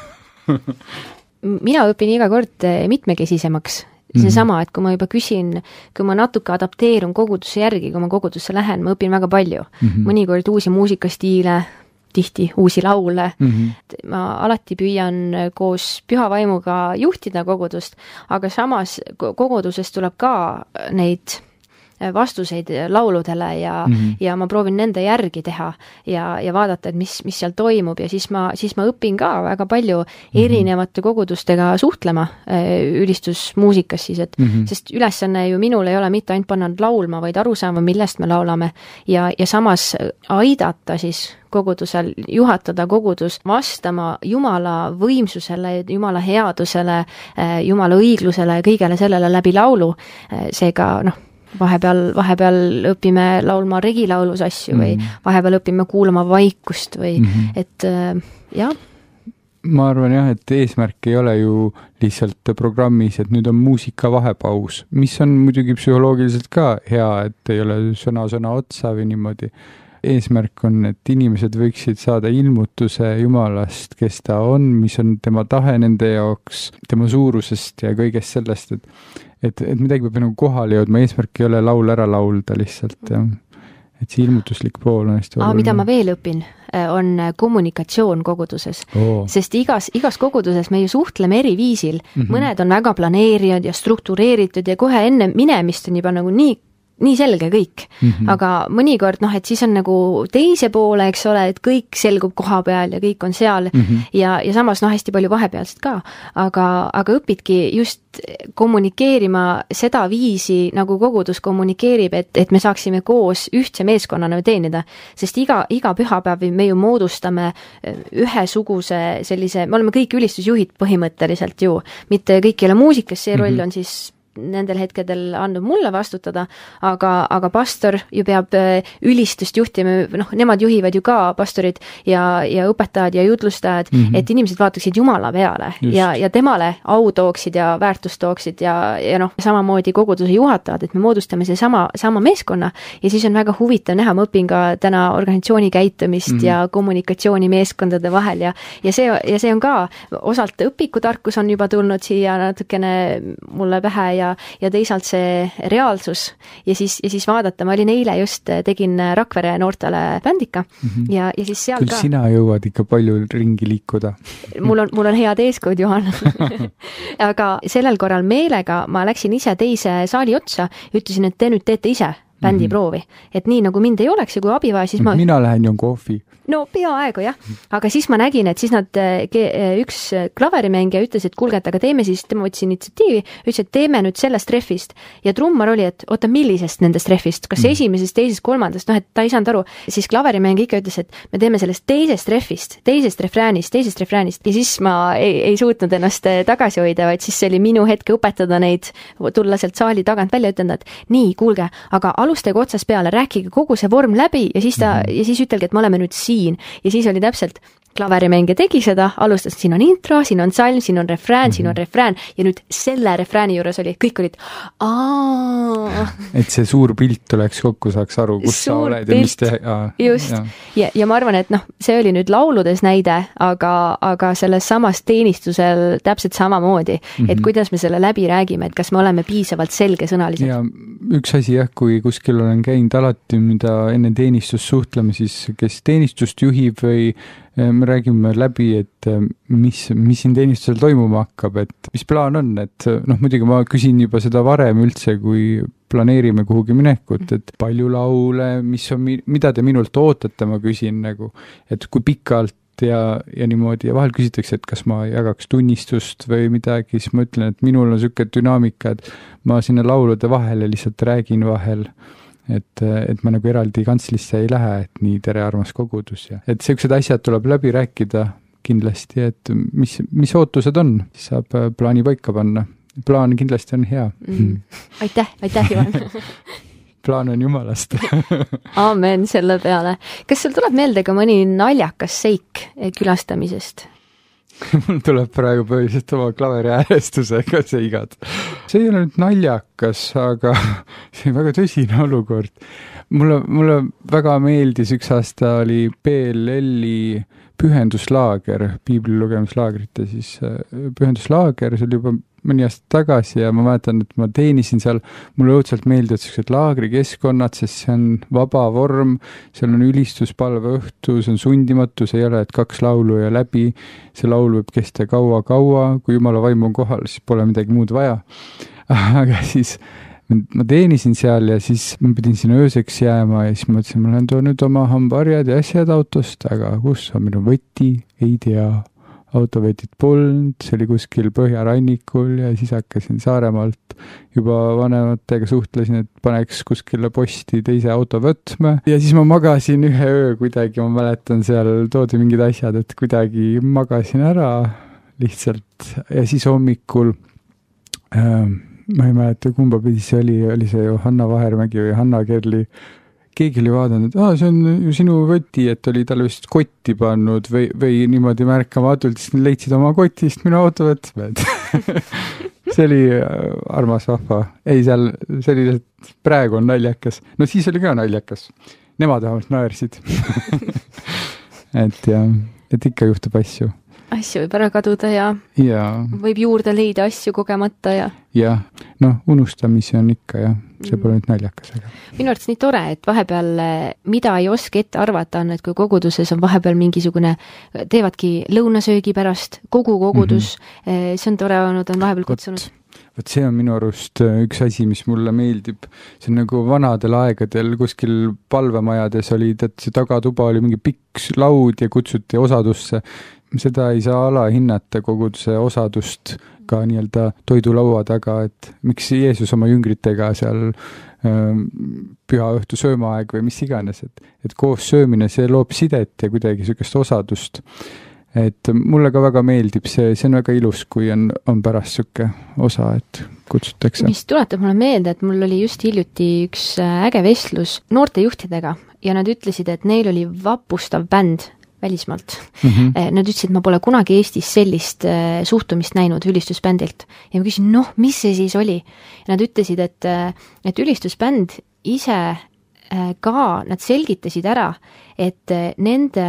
Mina õpin iga kord mitmekesisemaks. See mm-hmm. sama, et kui ma juba küsin, kui ma natuke adapteerun kogudusse järgi, kui ma kogudusse lähen, ma õpin väga palju. Mm-hmm. Mõnikord uusi muusikastiile, tihti uusi laule. Mm-hmm. Ma alati püüan koos püha vaimuga juhtida kogudust, aga samas kogudusest tuleb ka neid vastuseid lauludele ja, mm-hmm. ja ma proovin nende järgi teha ja, ja vaadata, et mis, mis seal toimub ja siis ma, siis ma õpin ka väga palju erinevate mm-hmm. kogudustega suhtlema ülistusmuusikas siis, et mm-hmm. sest ülesanne ju minul ei ole mitte ainult panna laulma, vaid aru saama, millest me laulame ja, ja samas aidata siis kogudusel, juhatada kogudus vastama Jumala võimsusele, Jumala headusele, Jumala õiglusele ja kõigele sellele läbi laulu. Seega, noh, vahepeal, vahepeal õpime laulma regilaulus asju või mm. vahepeal õpime kuulama vaikust või mm-hmm. et jah. Ma arvan jah, et eesmärk ei ole ju lihtsalt programmis, et nüüd on muusika vahepaus, mis on muidugi psühholoogiliselt ka hea, et ei ole sõna-sõna otsa või niimoodi. Eesmärk on, et inimesed võiksid saada ilmutuse Jumalast, kes ta on, mis on tema tahe nende jaoks, tema suurusest ja kõigest sellest, et, et, et midagi peab nagu kohale jõudma, eesmärk ei ole laul ära laulda lihtsalt, ja. Et see ilmutuslik pool on hästi oluline. Mida ma veel õpin, on kommunikatsioon koguduses, oh. sest igas, igas koguduses me ju suhtleme eri viisil, mm-hmm. mõned on väga planeerinud ja struktureeritud ja kohe enne minemist on juba nagu nii nii selge kõik, mm-hmm. aga mõnikord, noh, et siis on nagu teise poole, eks ole, et kõik selgub koha peal ja kõik on seal mm-hmm. ja, ja samas, noh, hästi palju vahepealset ka, aga, aga õpidki just kommunikeerima seda viisi, nagu kogudus kommunikeerib, et, et me saaksime koos ühtse meeskonnana teenida, sest iga, iga pühapäev me ju moodustame ühesuguse sellise, me oleme kõik ülistusjuhid põhimõtteliselt ju, mitte kõik ei ole muusikas, see roll mm-hmm. on siis nendel hetkedel andnud mulle vastutada, aga, aga pastor ju peab ülistust juhtima, noh, nemad juhivad ju ka pastorid ja, ja õpetajad ja jutlustajad, mm-hmm. et inimesed vaataksid Jumala peale ja, ja temale au tooksid ja väärtust tooksid ja, ja noh, samamoodi koguduse juhatajad, et me moodustame see sama, sama meeskonna ja siis on väga huvitav näha, ma õpin ka täna organisatsiooni käitumist mm-hmm. ja kommunikatsiooni meeskondade vahel ja, ja, see, ja see on ka osalt õpikutarkus on juba tulnud siia natukene mulle pähe ja Ja, ja teisalt see reaalsus ja siis, ja siis vaadata, ma olin eile just, tegin Rakvere noortele bändika mm-hmm. ja, ja siis seal Küll ka. Sina jõuad ikka palju ringi liikuda. mul on, mul on head eeskujud, Juhan. Aga sellel korral meelega ma läksin ise teise saali otsa ja ütlesin, et te nüüd teete ise bändiproovi. Et nii nagu mind ei oleks ja kui abi vaja, siis ma... Mina lähen joon kohvi. No peaaegu jah, aga siis ma nägin, et siis nad, üks klaverimängija ütles, et kuulge, et aga teeme siis, tema võttis initsiatiivi, ütles, et teeme nüüd sellest treffist ja trummar oli, et oota, millisest nendest treffist, kas mm. esimesest, teisest, kolmandast, noh, et ta ei saanud aru, siis klaverimängija ikka ütles, et me teeme sellest teisest treffist, teisest refräänist, teisest refräänist ja siis ma ei, ei suutnud ennast tagasi hoida, vaid siis see oli minu hetk õpetada neid, tulla sealt saali tagant välja, ütelda, et nii, kuulge, aga alustage otsast peale, rääkige kogu see vorm läbi ja siis ta, mm. ja siis ütelge, et me oleme nüüd siin. Ja siis oli täpselt klaverimängija tegi seda, alustas, siin on intro, siin on salm, siin on refrään, mm-hmm. siin on refrään ja nüüd selle refrääni juures oli, kõik olid aaa. Et see suur pilt tuleks kokku, saaks aru, kus suur sa oled pilt. Ja mis teha. Aa, just. Ja. Ja, ja ma arvan, et noh, see oli nüüd lauludes näide, aga, aga selles samas teenistusel täpselt samamoodi, mm-hmm. et kuidas me selle läbi räägime, et kas me oleme piisavalt selgesõnalised. Ja üks asi jah, kui kuskil olen käinud alati, mida enne teenistust suhtleme, siis kes teenistust juhib või me räägime läbi, et mis, mis siin teenistusel toimuma hakkab, et mis plaan on, et noh, muidugi ma küsin juba seda varem üldse, kui planeerime kuhugi minekut, et palju laule, mis on, mida te minult ootate, ma küsin nagu, et kui pikalt ja, ja niimoodi ja vahel küsitakse, et kas ma jagaks tunnistust või midagi, siis ma ütlen, et minul on selline dünaamika, et ma sinna laulude vahele lihtsalt räägin vahel, et, et ma nagu eraldi kantslisse ei lähe, et nii tere armas kogudus ja et sellised asjad tuleb läbi rääkida kindlasti, et mis, mis ootused on, siis saab plaani paika panna. Plaan kindlasti on hea. Mm. Aitäh, aitäh Ivan. Plaan on jumalast. Aamen selle peale. Kas sul tuleb meelde ka mõni naljakas seik külastamisest? Mul tuleb praegu põhiliselt oma klaveri äärestusega seigad. See ei ole nüüd naljakas, aga see on väga tõsine olukord. Mulle, mulle väga meeldis, üks aasta oli P L L-i pühenduslaager, piibli lugemislaagrite siis pühenduslaager, see oli juba mõni aasta tagasi ja ma mäletan, et ma teenisin seal, mulle õudselt meeldivad sellised laagrikeskkonnad, sest see on vaba vorm, seal on ülistuspalve õhtu, see on sundimatu, see ei ole, et kaks laulu ja läbi, see laul võib kesta kaua-kaua, kui jumala vaim on kohal, siis pole midagi muud vaja. Aga siis ma teenisin seal ja siis ma pidin sinna ööseks jääma ja siis ma mõtlesin, ma lähen toon nüüd oma hambaarjad ja asjad autost, aga kus on minu võti, ei tea. Autovetit polnud, see oli kuskil Põhjarannikul ja siis hakkasin Saaremaalt juba vanematega suhtlesin, et paneks kuskile posti teise auto võtme ja siis ma magasin ühe öö kuidagi, ma mäletan seal toodi mingid asjad, et kuidagi magasin ära lihtsalt ja siis hommikul äh, ma ei mäleta, kumba pidi see oli, oli see ju Hanna Vahermägi või Hanna Kerli, keegi oli vaadanud, et ah, see on ju sinu võti, et oli talle vist kotti pannud või, või niimoodi märkamatult, siis leidsid oma kotist minu auto võtmed. See oli armas vahva. Ei, seal, see oli lihtsalt praegu on naljakas. No siis oli ka naljakas. Nemad vähemalt naersid. et, ja, et ikka juhtub asju. Asju võib ära kaduda ja, ja võib juurde leida asju kogemata ja ja, noh, unustamisi on ikka ja see pole nüüd naljakas. Aga. Minu arvates nii tore, et vahepeal mida ei oska ette arvata on, et kui koguduses on vahepeal mingisugune, teevadki lõunasöögi pärast, kogu kogudus, mm-hmm. see on tore olnud, on vahepeal kutsunud. Vot see on minu arust üks asi, mis mulle meeldib. See on nagu vanadel aegadel kuskil palvemajades oli, et see tagatuba oli mingi pikk laud ja kutsuti osadusse. Seda ei saa alahinnata koguduse osadust ka nii-öelda toidulaua taga, et miks Jeesus oma jüngritega seal ähm, püha õhtu söömaaeg või mis iganes, et, et koos söömine, see loob sidet ja kuidagi sellist osadust. Et mulle ka väga meeldib see, see on väga ilus, kui on, on pärast selline osa, et kutsutakse. Mis tuletab mulle meelde, et mul oli just hiljuti üks äge vestlus noortejuhtidega ja nad ütlesid, et neil oli vapustav bänd välismaalt. Mm-hmm. Nad ütlesid, et ma pole kunagi Eestis sellist suhtumist näinud ülistusbändilt. Ja ma küsin, noh, mis see siis oli? Ja nad ütlesid, et, et ülistusbänd ise ka, nad selgitasid ära, et nende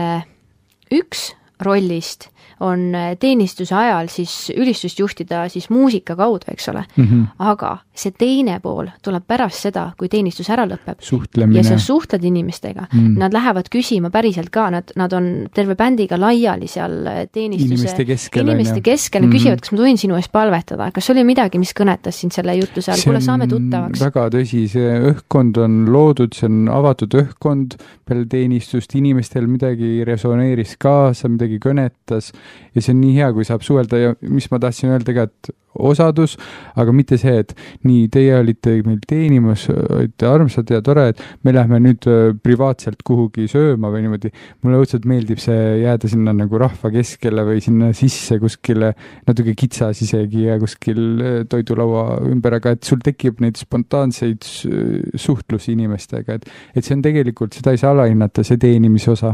üks rollist on teenistuse ajal siis ülistust juhtida siis muusika kaudu, eks ole. Mm-hmm. Aga see teine pool tuleb pärast seda, kui teenistus ära lõpeb. Suhtlemine. Ja sa suhtled inimestega. Mm. Nad lähevad küsima päriselt ka, nad, nad on terve bändiga laiali seal teenistuse. Inimeste keskel. Inimeste keskel. Mm-hmm. Küsivad, kas ma tohin sinu eest palvetada. Kas oli midagi, mis kõnetas sind selle jutluse all? Kuule, saame tuttavaks. Väga tõsi. See õhkkond on loodud, see on avatud õhkkond peale teenistust. Inimestel midagi resoneeris kaasa, midagi kõnetas. Ja see on nii hea, kui saab suhelda ja mis ma tahtsin öelda ka, et osadus, aga mitte see, et nii, teie olite meil teenimas, olite armsad ja tore, et me lähme nüüd privaatselt kuhugi sööma või niimoodi. Mulle õudselt meeldib see jääda sinna nagu rahva keskele või sinna sisse kuskile natuke kitsas isegi ja kuskil toidulaua ümber, aga et sul tekib neid spontaanseid suhtlusi inimestega, et, et see on tegelikult, seda ei saa alahinnata, see teenimise osa.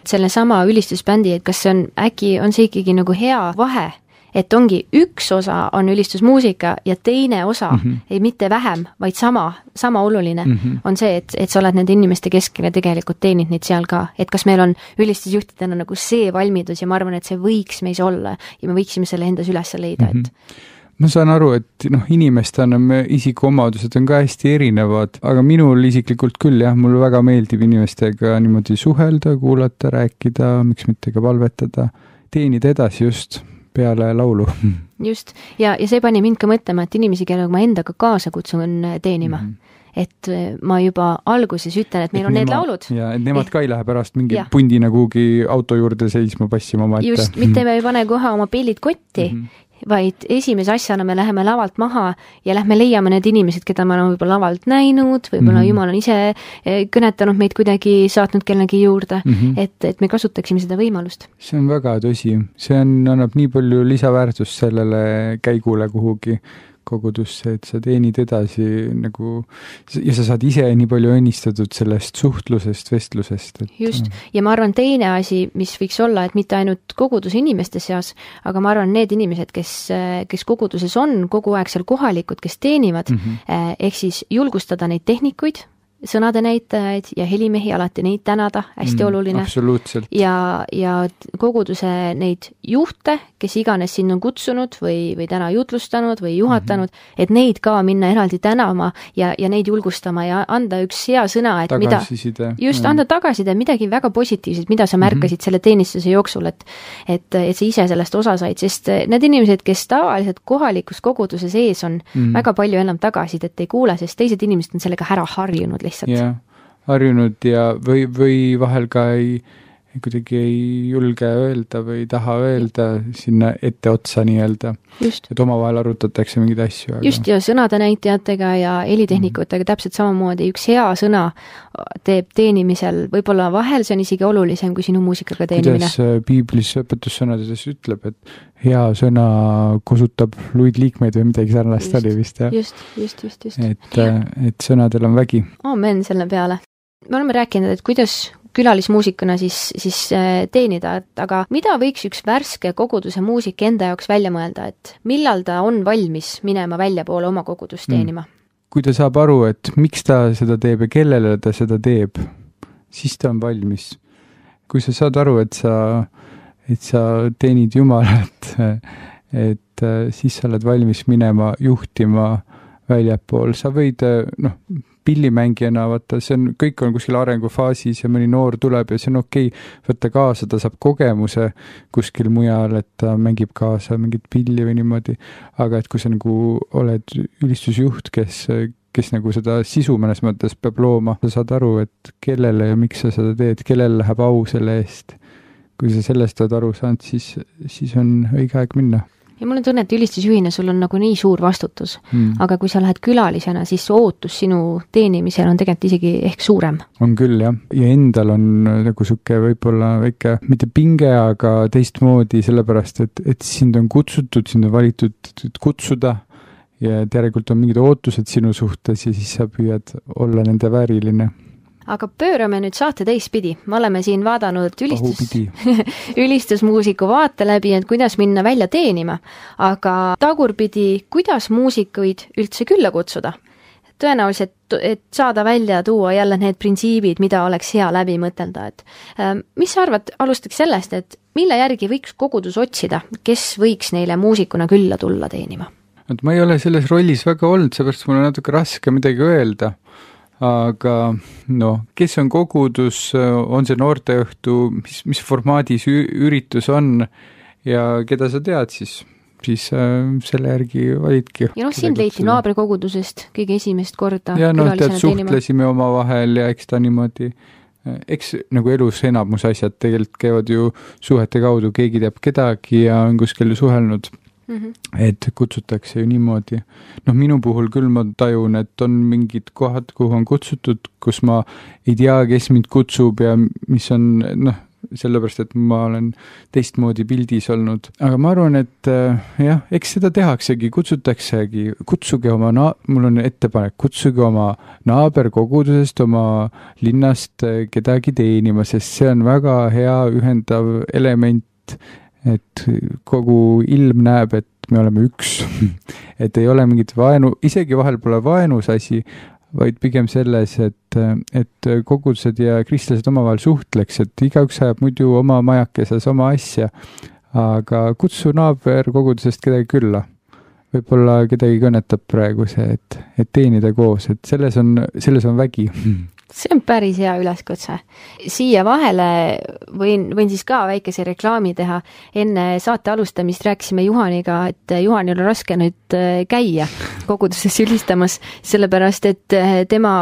selle sama ülistusbändi, et kas see on, äkki on see ikkagi nagu hea vahe, et ongi üks osa on ülistusmuusika ja teine osa mm, -hmm. ei mitte vähem, vaid sama, sama oluline mm -hmm. on see, et, et sa oled nende inimeste keskel ja tegelikult teenid neid seal ka. Et kas meil on ülistusjuhtidena nagu see valmidus ja ma arvan, et see võiks meis olla ja me võiksime selle endas üles leida, et mm -hmm. ma saan aru, et noh, inimestena me isikuomadused on ka hästi erinevad, aga minul isiklikult küll jah, mulle väga meeldib inimestega niimoodi suhelda, kuulata, rääkida, miks mitte ka palvetada, teenida edasi just peale laulu. Just, ja, ja see pani mind ka mõtlema, et inimesi, kellega ma endaga kaasa kutsun teenima. Mm. Et ma juba alguses ütlen, et meil et on need nema, laulud. Ja, et nemad ka ei lähe pärast mingi ja. pundina kuhugi auto juurde seisma passima oma ette. Just, mitte me ei pane kohe oma pillid kotti, mm -hmm. vaid esimese asjana me läheme lavalt maha ja lähme leiame need inimesed, keda me oleme võib-olla lavalt näinud, võib-olla mm -hmm. Jumal on ise kõnetanud meid kuidagi, saatnud kellegi juurde, mm -hmm. et, et me kasutaksime seda võimalust. See on väga tõsi. See on, annab nii palju lisaväärtust sellele käigule kuhugi kogudusse, et sa teenid edasi nagu ja sa saad ise nii palju õnnistatud sellest suhtlusest, vestlusest. Et... Just, ja ma arvan, teine asi, mis võiks olla, et mitte ainult koguduse inimeste seas, aga ma arvan, need inimesed, kes, kes koguduses on, kogu aeg seal kohalikud, kes teenivad, mm -hmm. ehk siis julgustada neid tehnikuid, sõnade näitajaid ja helimehi alati neid tänada, hästi mm, oluline. Absoluutselt. Ja, ja koguduse neid juhte, kes iganes sinna on kutsunud või, või täna jutlustanud või juhatanud, mm -hmm. et neid ka minna eraldi tänama ja, ja neid julgustama ja anda üks hea sõna, et tagasiside. mida, just mm. anda tagasiside, midagi väga positiivset, mida sa märkasid mm -hmm. selle teenistuse jooksul, et, et, et sa ise sellest osa said, sest need inimesed, kes tavaliselt kohalikus koguduse sees on, mm. väga palju enam tagasisidet ei kuule, sest teised inimesed on sellega ära harjunud lihtsalt. jah, harjunud ja või, või vahel ka ei, kuidagi ei julge öelda või ei taha öelda sinna etteotsa nii-öelda. Et omavahel arutatakse mingeid asju. Aga... Just, ja sõnade näitajatega ja helitehnikutega mm. täpselt samamoodi. Üks hea sõna teeb teenimisel, võib-olla vahel see on isegi olulisem kui sinu muusikaga teenimine. Kuidas piiblis õpetussõnades ütleb, et hea sõna kosutab luid liikmeid või midagi sarnast oli vist, jah? Just, just, just, just. Et, et sõnadel on vägi. Amen selle peale. Me oleme rääkinud, et kuidas külalismuusikuna siis, siis teenida, et aga mida võiks üks värske koguduse muusik enda jaoks välja mõelda, et millal ta on valmis minema väljapoole oma kogudust teenima? Mm. Kui ta saab aru, et miks ta seda teeb ja kellele ta seda teeb, siis ta on valmis. Kui sa saad aru, et sa, et sa teenid Jumalat, et siis sa oled valmis minema juhtima väljapool, sa võid, noh, pillimängijana, vaata, see on, kõik on kuskil arengufaasis ja mõni noor tuleb ja see on okei okay, võtta kaasa, ta saab kogemuse kuskil mujal, et ta mängib kaasa mingit pilli või niimoodi, aga et kui sa nagu oled ülistusjuht, kes, kes nagu seda sisu mõnes mõttes peab looma, sa saad aru, et kellele ja miks sa seda teed, kellele läheb au selle eest. Kui sa sellest oled aru saanud, siis, siis on õige aeg minna. Ja mul on tunne, et ülistusjuhina sul on nagu nii suur vastutus, mm. aga kui sa lähed külalisena, siis ootus sinu teenimisel on tegelikult isegi ehk suurem. On küll, jah. Ja endal on nagu suke võib-olla väike, mitte pinge, aga teistmoodi, sellepärast, et, et sind on kutsutud, sind on valitud kutsuda ja järelikult on mingid ootused sinu suhtes ja siis sa püüad olla nende vääriline. Aga pöörame nüüd saate teistpidi. Me oleme siin vaadanud ülistus... ülistusmuusiku vaate läbi, et kuidas minna välja teenima. Aga tagurpidi, kuidas muusikuid üldse külla kutsuda? Tõenäoliselt, et saada välja tuua jälle need printsiibid, mida oleks hea läbi mõtelda. Et, mis sa arvad, alustaks sellest, et mille järgi võiks kogudus otsida, kes võiks neile muusikuna külla tulla teenima? Et ma ei ole selles rollis väga olnud, seepärast mul on natuke raske midagi öelda. Aga no, kes on kogudus, on see noorteõhtu, mis, mis formaadis üritus on ja keda sa tead siis, siis äh, selle järgi validki. Ja noh, sind leiti naabrikogudusest kõige esimest korda. Ja noh, tead, suhtlesime oma vahel ja eks ta niimoodi, eks nagu elus enamus asjad tegelikult käivad ju suhete kaudu, keegi teab kedagi ja on kuskil suhelnud. Mm-hmm. Et kutsutakse ju niimoodi. Noh, minu puhul küll ma tajun, et on mingid kohad, kuhu on kutsutud, kus ma ei tea, kes mind kutsub ja mis on, noh, sellepärast, et ma olen teistmoodi pildis olnud. Aga ma arvan, et jah, eks seda tehaksegi, kutsutaksegi, kutsuge oma, na- mul on ettepanek, kutsuge oma naaberkogudusest, oma linnast kedagi teenima, sest see on väga hea ühendav element, et kogu ilm näeb, et me oleme üks, et ei ole mingit vaenu, isegi vahel pole vaenus asi, vaid pigem selles, et, et kogudused ja kristlased omavahel suhtleks, et igaüks ajab muidu oma majakeses oma asja, aga kutsu naaber kogudusest kedagi külla. Võib-olla kedagi kõnetab praegu see, et, et teenida koos, et selles on, selles on vägi. See on päris hea üleskutse. Siia vahele võin, võin siis ka väikese reklaami teha. Enne saate alustamist rääkisime Juhaniga, et Juhanil on raske nüüd käia koguduses ülistamas, sellepärast et tema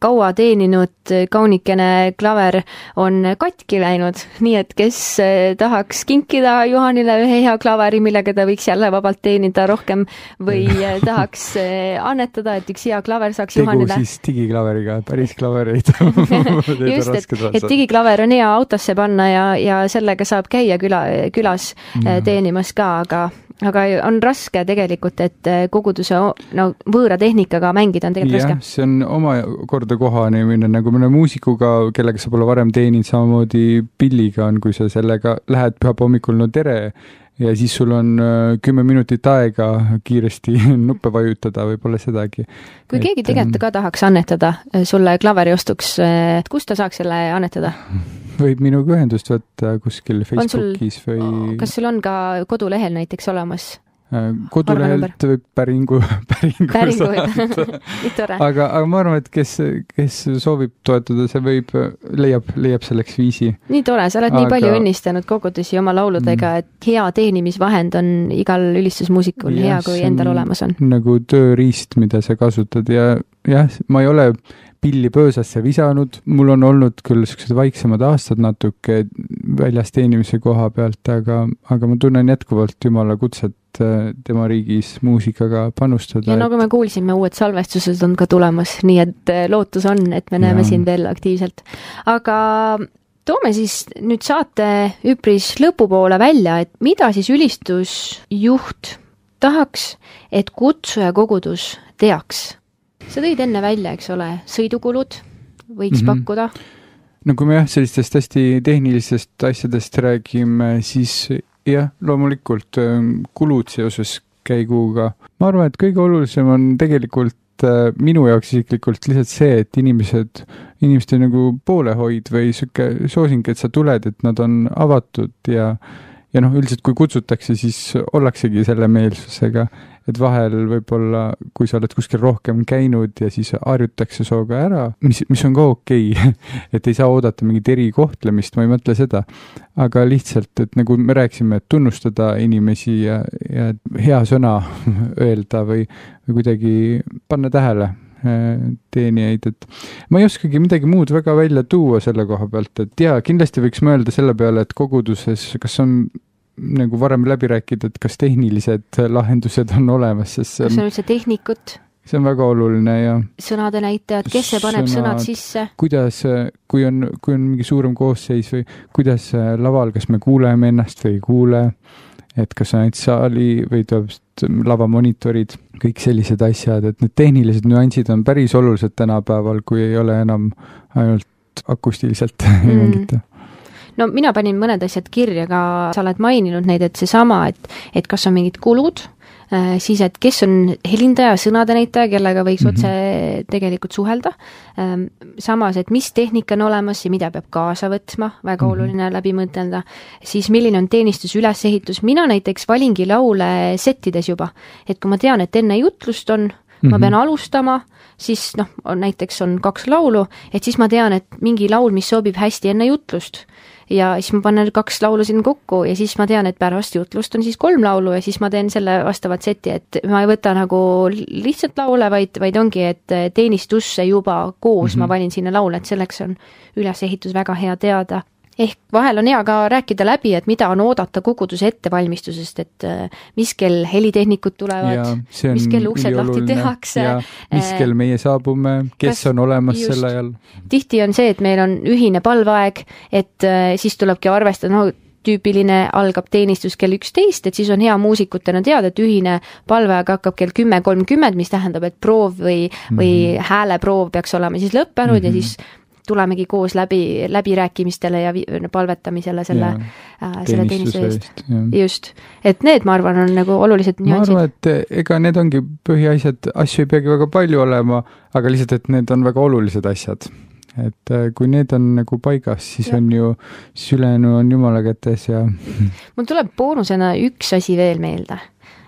kaua teeninud kaunikene klaver on katki läinud, nii et kes tahaks kinkida Juhanile ühe hea klaveri, millega ta võiks jälle vabalt teenida rohkem või tahaks annetada, et üks hea klaver saaks Tegu Juhanile. Tegu siis digiklaveriga, päris klavereid. Just, et, et digiklaver on hea autosse panna ja, ja sellega saab käia küla, külas ja. teenimas ka, aga, aga on raske tegelikult, et koguduse no, võõra tehnikaga mängida on tegelikult ja, raske. See on oma korda kohani minna, nagu mõne muusikuga, kellega sa pole varem teeninud, samamoodi pilliga on, kui sa sellega lähed pühapa hommikul, no tere, ja siis sul on kümme minutit aega kiiresti nuppe vajutada, võib-olla sedagi. Kui et, keegi tegelikult ka tahaks annetada sulle klaveri ostuks, kus ta saaks selle annetada? Võib minuga ühendust võtta kuskil Facebookis sul, või... Kas sul on ka kodulehel näiteks olemas? Kodulehelt võib päringu, päringu, päringu saada. aga, aga ma arvan, et kes, kes soovib toetada, see võib, leiab, leiab selleks viisi. Nii tore, sa oled aga... nii palju õnnistanud kogudusi oma lauludega, et hea teenimisvahend on igal ülistusmuusikul ja, hea, kui endal olemas on. Nagu tööriist, mida sa kasutad ja jah, ma ei ole pilli pöösasse visanud, mul on olnud küll sellised vaiksemad aastad natuke väljas teenimise koha pealt, aga, aga ma tunnen jätkuvalt Jumala kutset tema riigis muusikaga panustada. Ja nagu me kuulsime, uued salvestused on ka tulemas, nii et lootus on, et me näeme ja. Siin veel aktiivselt. Aga toome siis nüüd saate üpris lõpupoole välja, et mida siis ülistusjuht tahaks, et kutsuja kogudus teaks? Sa tõid enne välja, eks ole, sõidukulud võiks mm-hmm. pakkuda. No kui me jah, sellistest hästi tehnilistest asjadest räägime, siis jah, loomulikult kulud seoses käiguga. Ma arvan, et kõige olulisem on tegelikult minu jaoks isiklikult lihtsalt see, et inimesed, inimeste nagu poolehoid või siuke soosing, et sa tuled, et nad on avatud ja, ja noh, üldiselt kui kutsutakse, siis ollaksegi selle meelsusega, et vahel võib-olla, kui sa oled kuskil rohkem käinud ja siis harjutakse sooga ära, mis, mis on ka okei, et ei saa oodata mingit erikohtlemist, ma ei mõtle seda, aga lihtsalt, et nagu me rääkisime, et tunnustada inimesi ja, ja hea sõna öelda või, või kuidagi panna tähele teenijaid, et ma ei oskagi midagi muud väga välja tuua selle koha pealt, et jaa, kindlasti võiks mõelda selle peale, et koguduses, kas on nagu varem läbi rääkida, et kas tehnilised lahendused on olemas, sest see on, kas on üldse tehnikut? See on väga oluline ja sõnade näitajad, kes see paneb sõnad, sõnad sisse? Kuidas, kui on, kui on mingi suurem koosseis või kuidas laval, kas me kuuleme ennast või ei kuule, et kas on ainult saali või tuleb lavamonitorid, kõik sellised asjad, et need tehnilised nüansid on päris olulised tänapäeval, kui ei ole enam ainult akustiliselt mm. ei mängita. No mina panin mõned asjad kirja, ka sa oled maininud neid, et see sama, et, et kas on mingid kulud, äh, siis et kes on helindaja, sõnade näitaja, kellega võiks mm-hmm. otse tegelikult suhelda. Ähm, samas, et mis tehnika on olemas ja mida peab kaasa võtma, väga mm-hmm. oluline läbi mõtelda. Siis milline on teenistus ülesehitus. Mina näiteks valingi laule settides juba, et kui ma tean, et enne jutlust on, mm-hmm. ma pean alustama, siis noh, on, näiteks on kaks laulu, et siis ma tean, et mingi laul, mis sobib hästi enne jutlust. Ja siis ma panen kaks laulu siin kokku ja siis ma tean, et pärast jutlust on siis kolm laulu ja siis ma teen selle vastavat seti, et ma ei võta nagu lihtsalt laule, vaid, vaid ongi, et teenistusse juba koos mm-hmm. ma valin sinna laule, et selleks on ülesehitus väga hea teada. ehk vahel on hea ka rääkida läbi, et mida on oodata koguduse ettevalmistusest, et mis kell helitehnikud tulevad, mis kell uksed lahti tehakse. Mis kell meie saabume, kes kas, on olemas just, sel ajal. Tihti on see, et meil on ühine palveaeg, et siis tulebki arvestada, no tüüpiline algab teenistus kell üksteist, et siis on hea muusikutena teada, et ühine palveaeg hakkab kell kümme kolmkümmend, mis tähendab, et proov või, mm-hmm. või hääleproov peaks olema siis lõppenud mm-hmm. ja siis tulemegi koos läbi, läbirääkimistele ja palvetamisele selle, äh, selle teenistuse eest. Just. Et need, ma arvan, on nagu olulised nüansid. Ma arvan, et ega need ongi põhiasjad, asju ei peagi väga palju olema, aga lihtsalt, et need on väga olulised asjad. Et kui need on nagu paigas, siis ja. on ju, siis ülejäänu on jumala kätes ja... Mul tuleb boonusena üks asi veel meelde.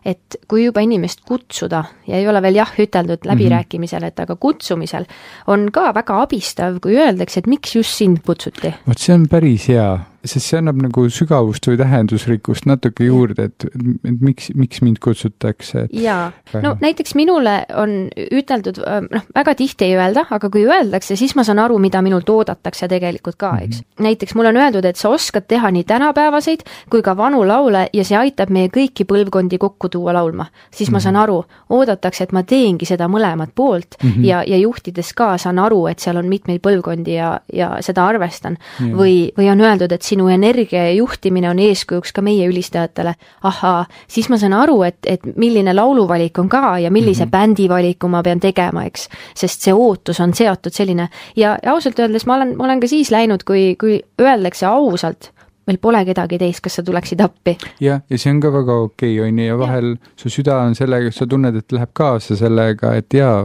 Et kui juba inimest kutsuda ja ei ole veel jah üteldud läbirääkimisel, et aga kutsumisel on ka väga abistav, kui öeldakse, et miks just sind kutsuti. Vot see on päris hea, sest see annab nagu sügavust või tähendusrikkust natuke juurde, et, et miks, miks mind kutsutakse. Et... Jaa, no näiteks minule on üteldud, noh, väga tihti ei öelda, aga kui öeldakse, siis ma saan aru, mida minult oodatakse tegelikult ka, eks. Mm-hmm. Näiteks mul on öeldud, et sa oskad teha nii tänapäevaseid kui ka vanu laule ja see aitab meie kõiki põlvkondi kokku tuua laulma. Siis mm-hmm. ma saan aru, oodatakse, et ma teengi seda mõlemat poolt mm-hmm. ja, ja juhtides ka saan aru, et seal on mitmeid põlvkondi ja, ja seda arvestan. Yeah. Või, või on öeldud, et sinu energia ja juhtimine on eeskujuks ka meie ülistajatele. Ahaa, siis ma saan aru, et, et milline lauluvalik on ka ja millise mm-hmm. bändi valiku ma pean tegema, eks, sest see ootus on seotud selline ja, ja ausalt öeldes ma olen, ma olen ka siis läinud, kui, kui öeldakse ausalt, meil pole kedagi teist, kas sa tuleksid appi. Ja, ja see on ka väga okei, on ja vahel ja. Su süda on sellega, sa tunned, et läheb kaasa sellega, et jaa,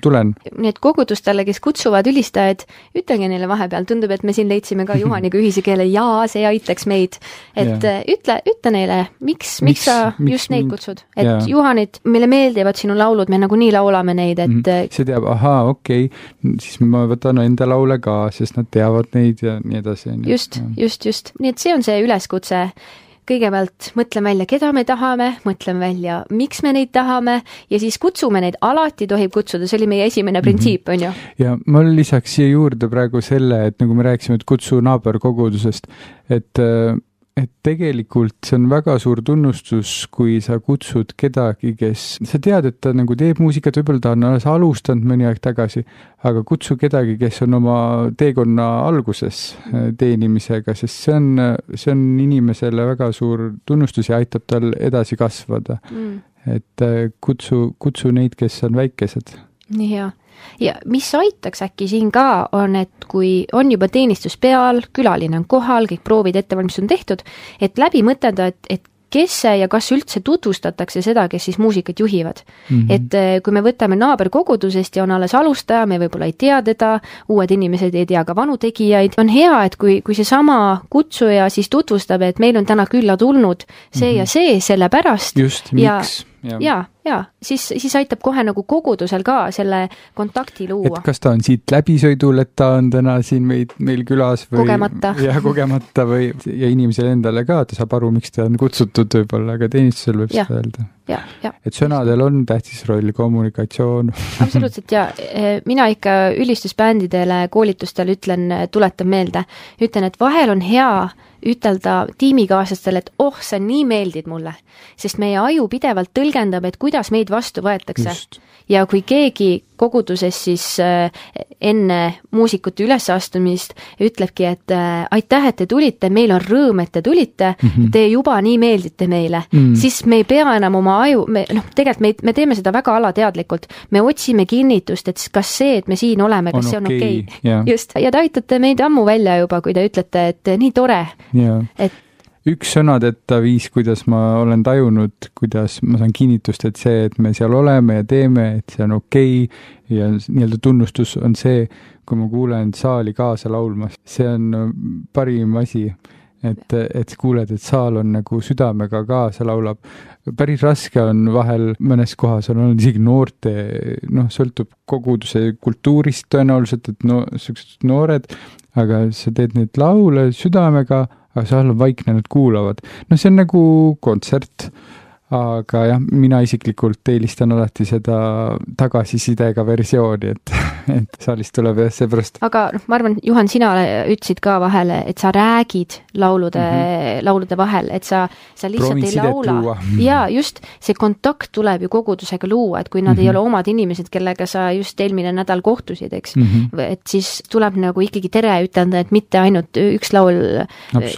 tulen. Nii et kogudustele, kes kutsuvad ülistajad, ütlege neile vahepeal, tundub, et me siin leidsime ka Juhaniga ühise keele, jaa, see aitaks meid. Et ja. ütle, ütle neile, miks, miks, miks sa miks just neid kutsud. Et ja. Juhanid, meile meeldivad sinu laulud, me nagu nii laulame neid, et mm-hmm. see teab, ahaa, okei, siis ma võtan enda laule ka, sest nad teavad neid ja nii edasi. Just, ja. just, just. Nii et see on see üleskutse. Kõigepealt mõtleme välja, keda me tahame, mõtleme välja, miks me neid tahame ja siis kutsume neid, alati tohib kutsuda, see oli meie esimene printsiip, on ju? Ja ma lisaks siia juurde praegu selle, et nagu me rääkisime, et kutsu naaberkogudusest, et et tegelikult see on väga suur tunnustus, kui sa kutsud kedagi, kes, sa tead, et ta nagu teeb muusikat, võib-olla ta on alles alustanud mõni aeg tagasi, aga kutsu kedagi, kes on oma teekonna alguses teenimisega, sest see on, see on inimesele väga suur tunnustus ja aitab tal edasi kasvada. Mm. Et kutsu, kutsu neid, kes on väikesed. Nii hea. Ja mis aitaks äkki siin ka on, et kui on juba teenistus peal, külaline on kohal, kõik proovid ettevalmistus on tehtud, et läbi mõtelda, et, et kes see ja kas üldse tutvustatakse seda, kes siis muusikat juhivad. Mm-hmm. Et kui me võtame naaberkogudusest ja on alles alustaja, me võib-olla ei tea teda, uued inimesed ei tea ka vanu tegijaid, on hea, et kui, kui see sama kutsuja siis tutvustab, et meil on täna külla tulnud see mm-hmm. ja see selle pärast. Just, miks? Ja, ja, ja siis, siis aitab kohe nagu kogudusel ka selle kontakti luua. Et kas ta on siit läbisõidul, et ta on täna siin meid, meil külas või kogemata. Ja kogemata või ja inimesele endale ka, ta saab aru, miks ta on kutsutud võib-olla, aga teenistusel võib seda öelda. Ja, ja. Et sõnadel on tähtis roll, kommunikatsioon. Absoluutselt ja mina ikka ülistusbändidele koolitustel ütlen, tuletan meelde, ütlen, et vahel on hea ütelda tiimikaaslastele, et oh, sa nii meeldid mulle, sest meie aju pidevalt tõlgendab, et kuidas meid vastu võetakse. Just. Ja kui keegi koguduses siis äh, enne muusikute ülesastumist ütlebki, et äh, aitäh, et te tulite, meil on rõõm, et te tulite, mm-hmm. te juba nii meeldite meile, mm. siis me ei pea enam oma aju, me, noh, tegelikult me, me teeme seda väga alateadlikult, me otsime kinnitust, et kas see, et me siin oleme, kas on see on okei. Okay. Okay. Yeah. Just, ja te aitate meid ammu välja juba, kui te ütlete, et nii tore, yeah. et üks sõnadeta viis, kuidas ma olen tajunud, kuidas ma saan kinnitust, et see, et me seal oleme ja teeme, et see on okei ja nii-öelda tunnustus on see, kui ma kuulen saali kaasa laulmas. See on parim asi, et, et kuuled, et saal on nagu südamega kaasa laulab. Päris raske on vahel mõnes kohas on olnud isegi noorte, noh, sõltub koguduse kultuurist tõenäoliselt, et no, sellised noored, aga sa teed neid laule südamega, aga seal on vaikne, nad kuulavad. No see on nagu kontsert, aga jah, mina isiklikult eelistan alati seda tagasisidega versiooni, et, et saalist tuleb jah seepärast. aga noh, ma arvan, Juhan, sina ütlesid ka vahele, et sa räägid laulude mm, -hmm. laulude vahel, et sa, sa lihtsalt Proovin ei laula. Ja just see kontakt tuleb ju kogudusega luua, et kui nad mm -hmm. ei ole omad inimesed, kellega sa just eelmine nädal kohtusid, eks, mm -hmm. et siis tuleb nagu ikkagi tere ütelda, et mitte ainult üks laul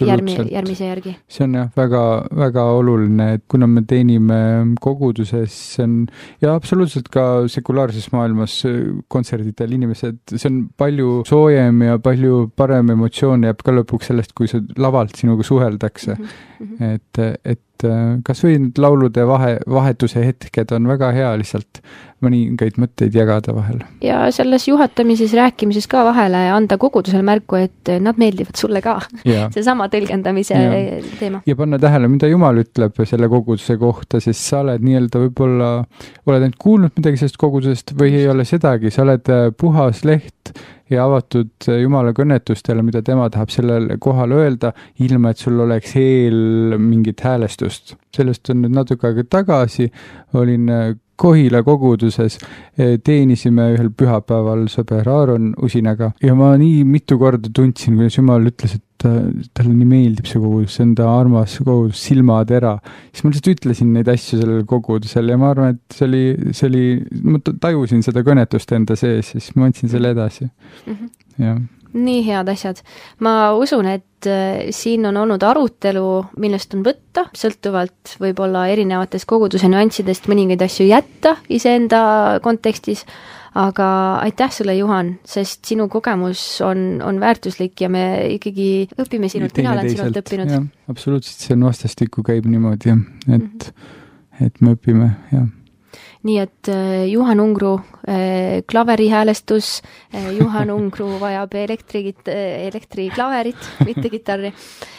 järmi, järgmise järgi. See on jah väga, väga oluline, et kuna me teenime koguduses, see on ja absoluutselt ka sekulaarses maailmas kontserdidel inimesed, see on palju soojem ja palju parem emotsioon jääb ka lõpuks sellest, kui see lavalt sinuga suheldakse. Mm -hmm. et, et kas või need laulude vahe, vahetuse hetked on väga hea lihtsalt mõningaid mõtteid jagada vahel. Ja selles juhatamises, rääkimises ka vahele anda kogudusele märku, et nad meeldivad sulle ka. See sama tõlgendamise ja. teema. Ja panna tähele, mida Jumal ütleb selle koguduse kohta, sest sa oled nii-öelda võib-olla, oled ainult kuulnud midagi sellest kogudusest või ei ole sedagi, sa oled puhas leht ja avatud Jumala kõnetustele, mida tema tahab sellel kohal öelda, ilma et sul oleks eel mingit häälestust. Sellest on nüüd natuke aega tagasi, olin Kohila koguduses, teenisime ühel pühapäeval sõber Aaron Usinaga ja ma nii mitu korda tundsin, kuidas Jumal ütles, et talle nii meeldib see kogudus, see on ta armas kogudus, silmatera. Siis ma lihtsalt ütlesin neid asju sellel kogudusel ja ma arvan, et see oli, see oli, ma tajusin seda kõnetust enda sees, siis ma andsin selle edasi. Mm -hmm. Ja. Nii head asjad. Ma usun, et siin on olnud arutelu, millest on võtta, sõltuvalt võib-olla erinevatest koguduse nüanssidest mõningaid asju jätta iseenda kontekstis, aga aitäh sulle, Juhan, sest sinu kogemus on, on väärtuslik ja me ikkagi õpime sinult, mina olen sinult õppinud. Ja, absoluutselt, see on vastastikku käib niimoodi, et, mm -hmm. et me õpime, jah. Nii et Juhan Ungru äh, klaverihäälestus, äh, Juhan Ungru vajab elektri, elektriklaverit, mitte kitarri.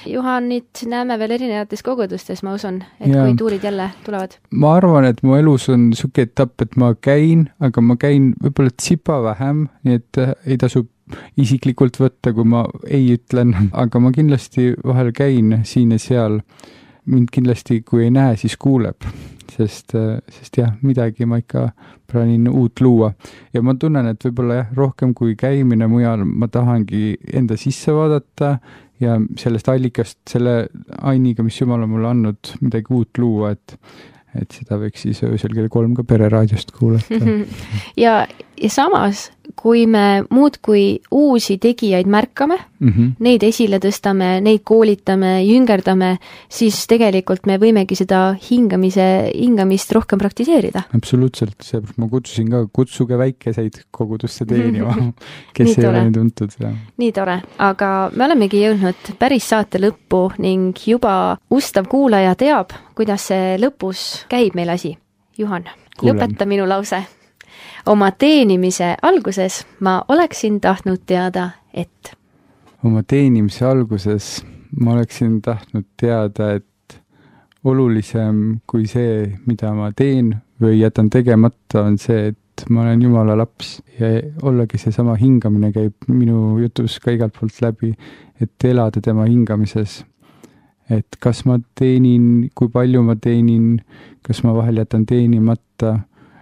Juhanit näeme veel erinevates kogudustes, ma usun, et ja. Kui tuurid jälle tulevad. Ma arvan, et mu elus on suke etapp, et ma käin, aga ma käin võib-olla tsipa vähem, nii et ei tasu isiklikult võtta, kui ma ei ütlen, aga ma kindlasti vahel käin siin ja seal. Mind kindlasti, kui ei näe, siis kuuleb. Sest, sest jah, midagi ma ikka plaanin uut luua. Ja ma tunnen, et võib-olla jah, rohkem kui käimine mujal, ma tahangi enda sisse vaadata ja sellest allikast, selle ainiga, mis Jumal on mulle andnud, midagi uut luua, et, et seda võiks siis öösel kell kolm ka pereraadiost kuulata. ja, ja samas, kui me muud kui uusi tegijaid märkame, mm -hmm. neid esile tõstame, neid koolitame, jüngerdame, siis tegelikult me võimegi seda hingamise, hingamist rohkem praktiseerida. Absoluutselt, seepärast ma kutsusin ka, kutsuge väikeseid kogudusse teenima, kes ei ole tuntud. Ja. Nii tore, aga me olemegi jõudnud päris saate lõppu ning juba ustav kuulaja teab, kuidas see lõpus käib meil asi. Juhan, Kuulen. Lõpeta minu lause. Oma teenimise alguses ma oleksin tahtnud teada, et... Oma teenimise alguses ma oleksin tahtnud teada, et olulisem kui see, mida ma teen või jätan tegemata, on see, et ma olen Jumala laps ja ollagi seesama hingamine käib minu jutus ka igalt poolt läbi, et elada tema hingamises. Et kas ma teenin, kui palju ma teenin, kas ma vahel jätan teenimata,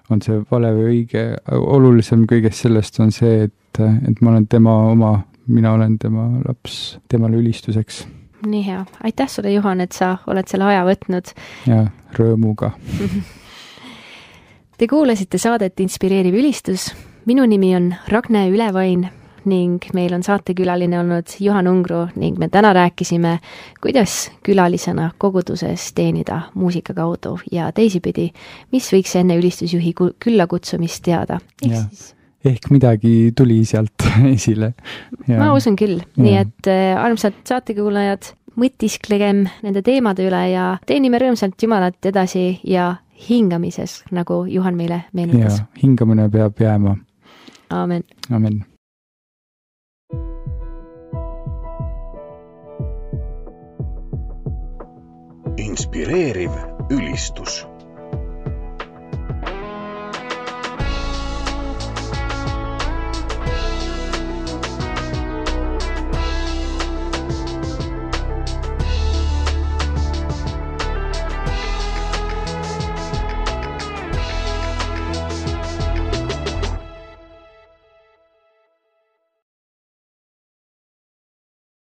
on see vale või õige. Olulisem kõigest sellest on see, et, et ma olen tema oma, mina olen tema laps, temale ülistuseks. Nii hea. Aitäh sulle, Juhan, et sa oled selle aja võtnud. Ja, rõõmuga. Te kuulasite saadet Inspireeriv ülistus. Minu nimi on Ragne Ülevain ning meil on saatekülaline olnud Juhan Ungru ning me täna rääkisime, kuidas külalisena koguduses teenida muusika kaudu ja teisipidi, mis võiks enne ülistusjuhi külla kutsumist teada. Ehk, siis... Ehk midagi tuli sealt esile. Ja. Ma usun küll, ja. Nii et äh, armsad saatekuulajad, mõtisklegem nende teemade üle ja teenime rõõmsalt Jumalat edasi ja hingamises, nagu Juhan meile meenutas. Ja, hingamine peab jääma. Aamen. Aamen. Inspireeriv ülistus.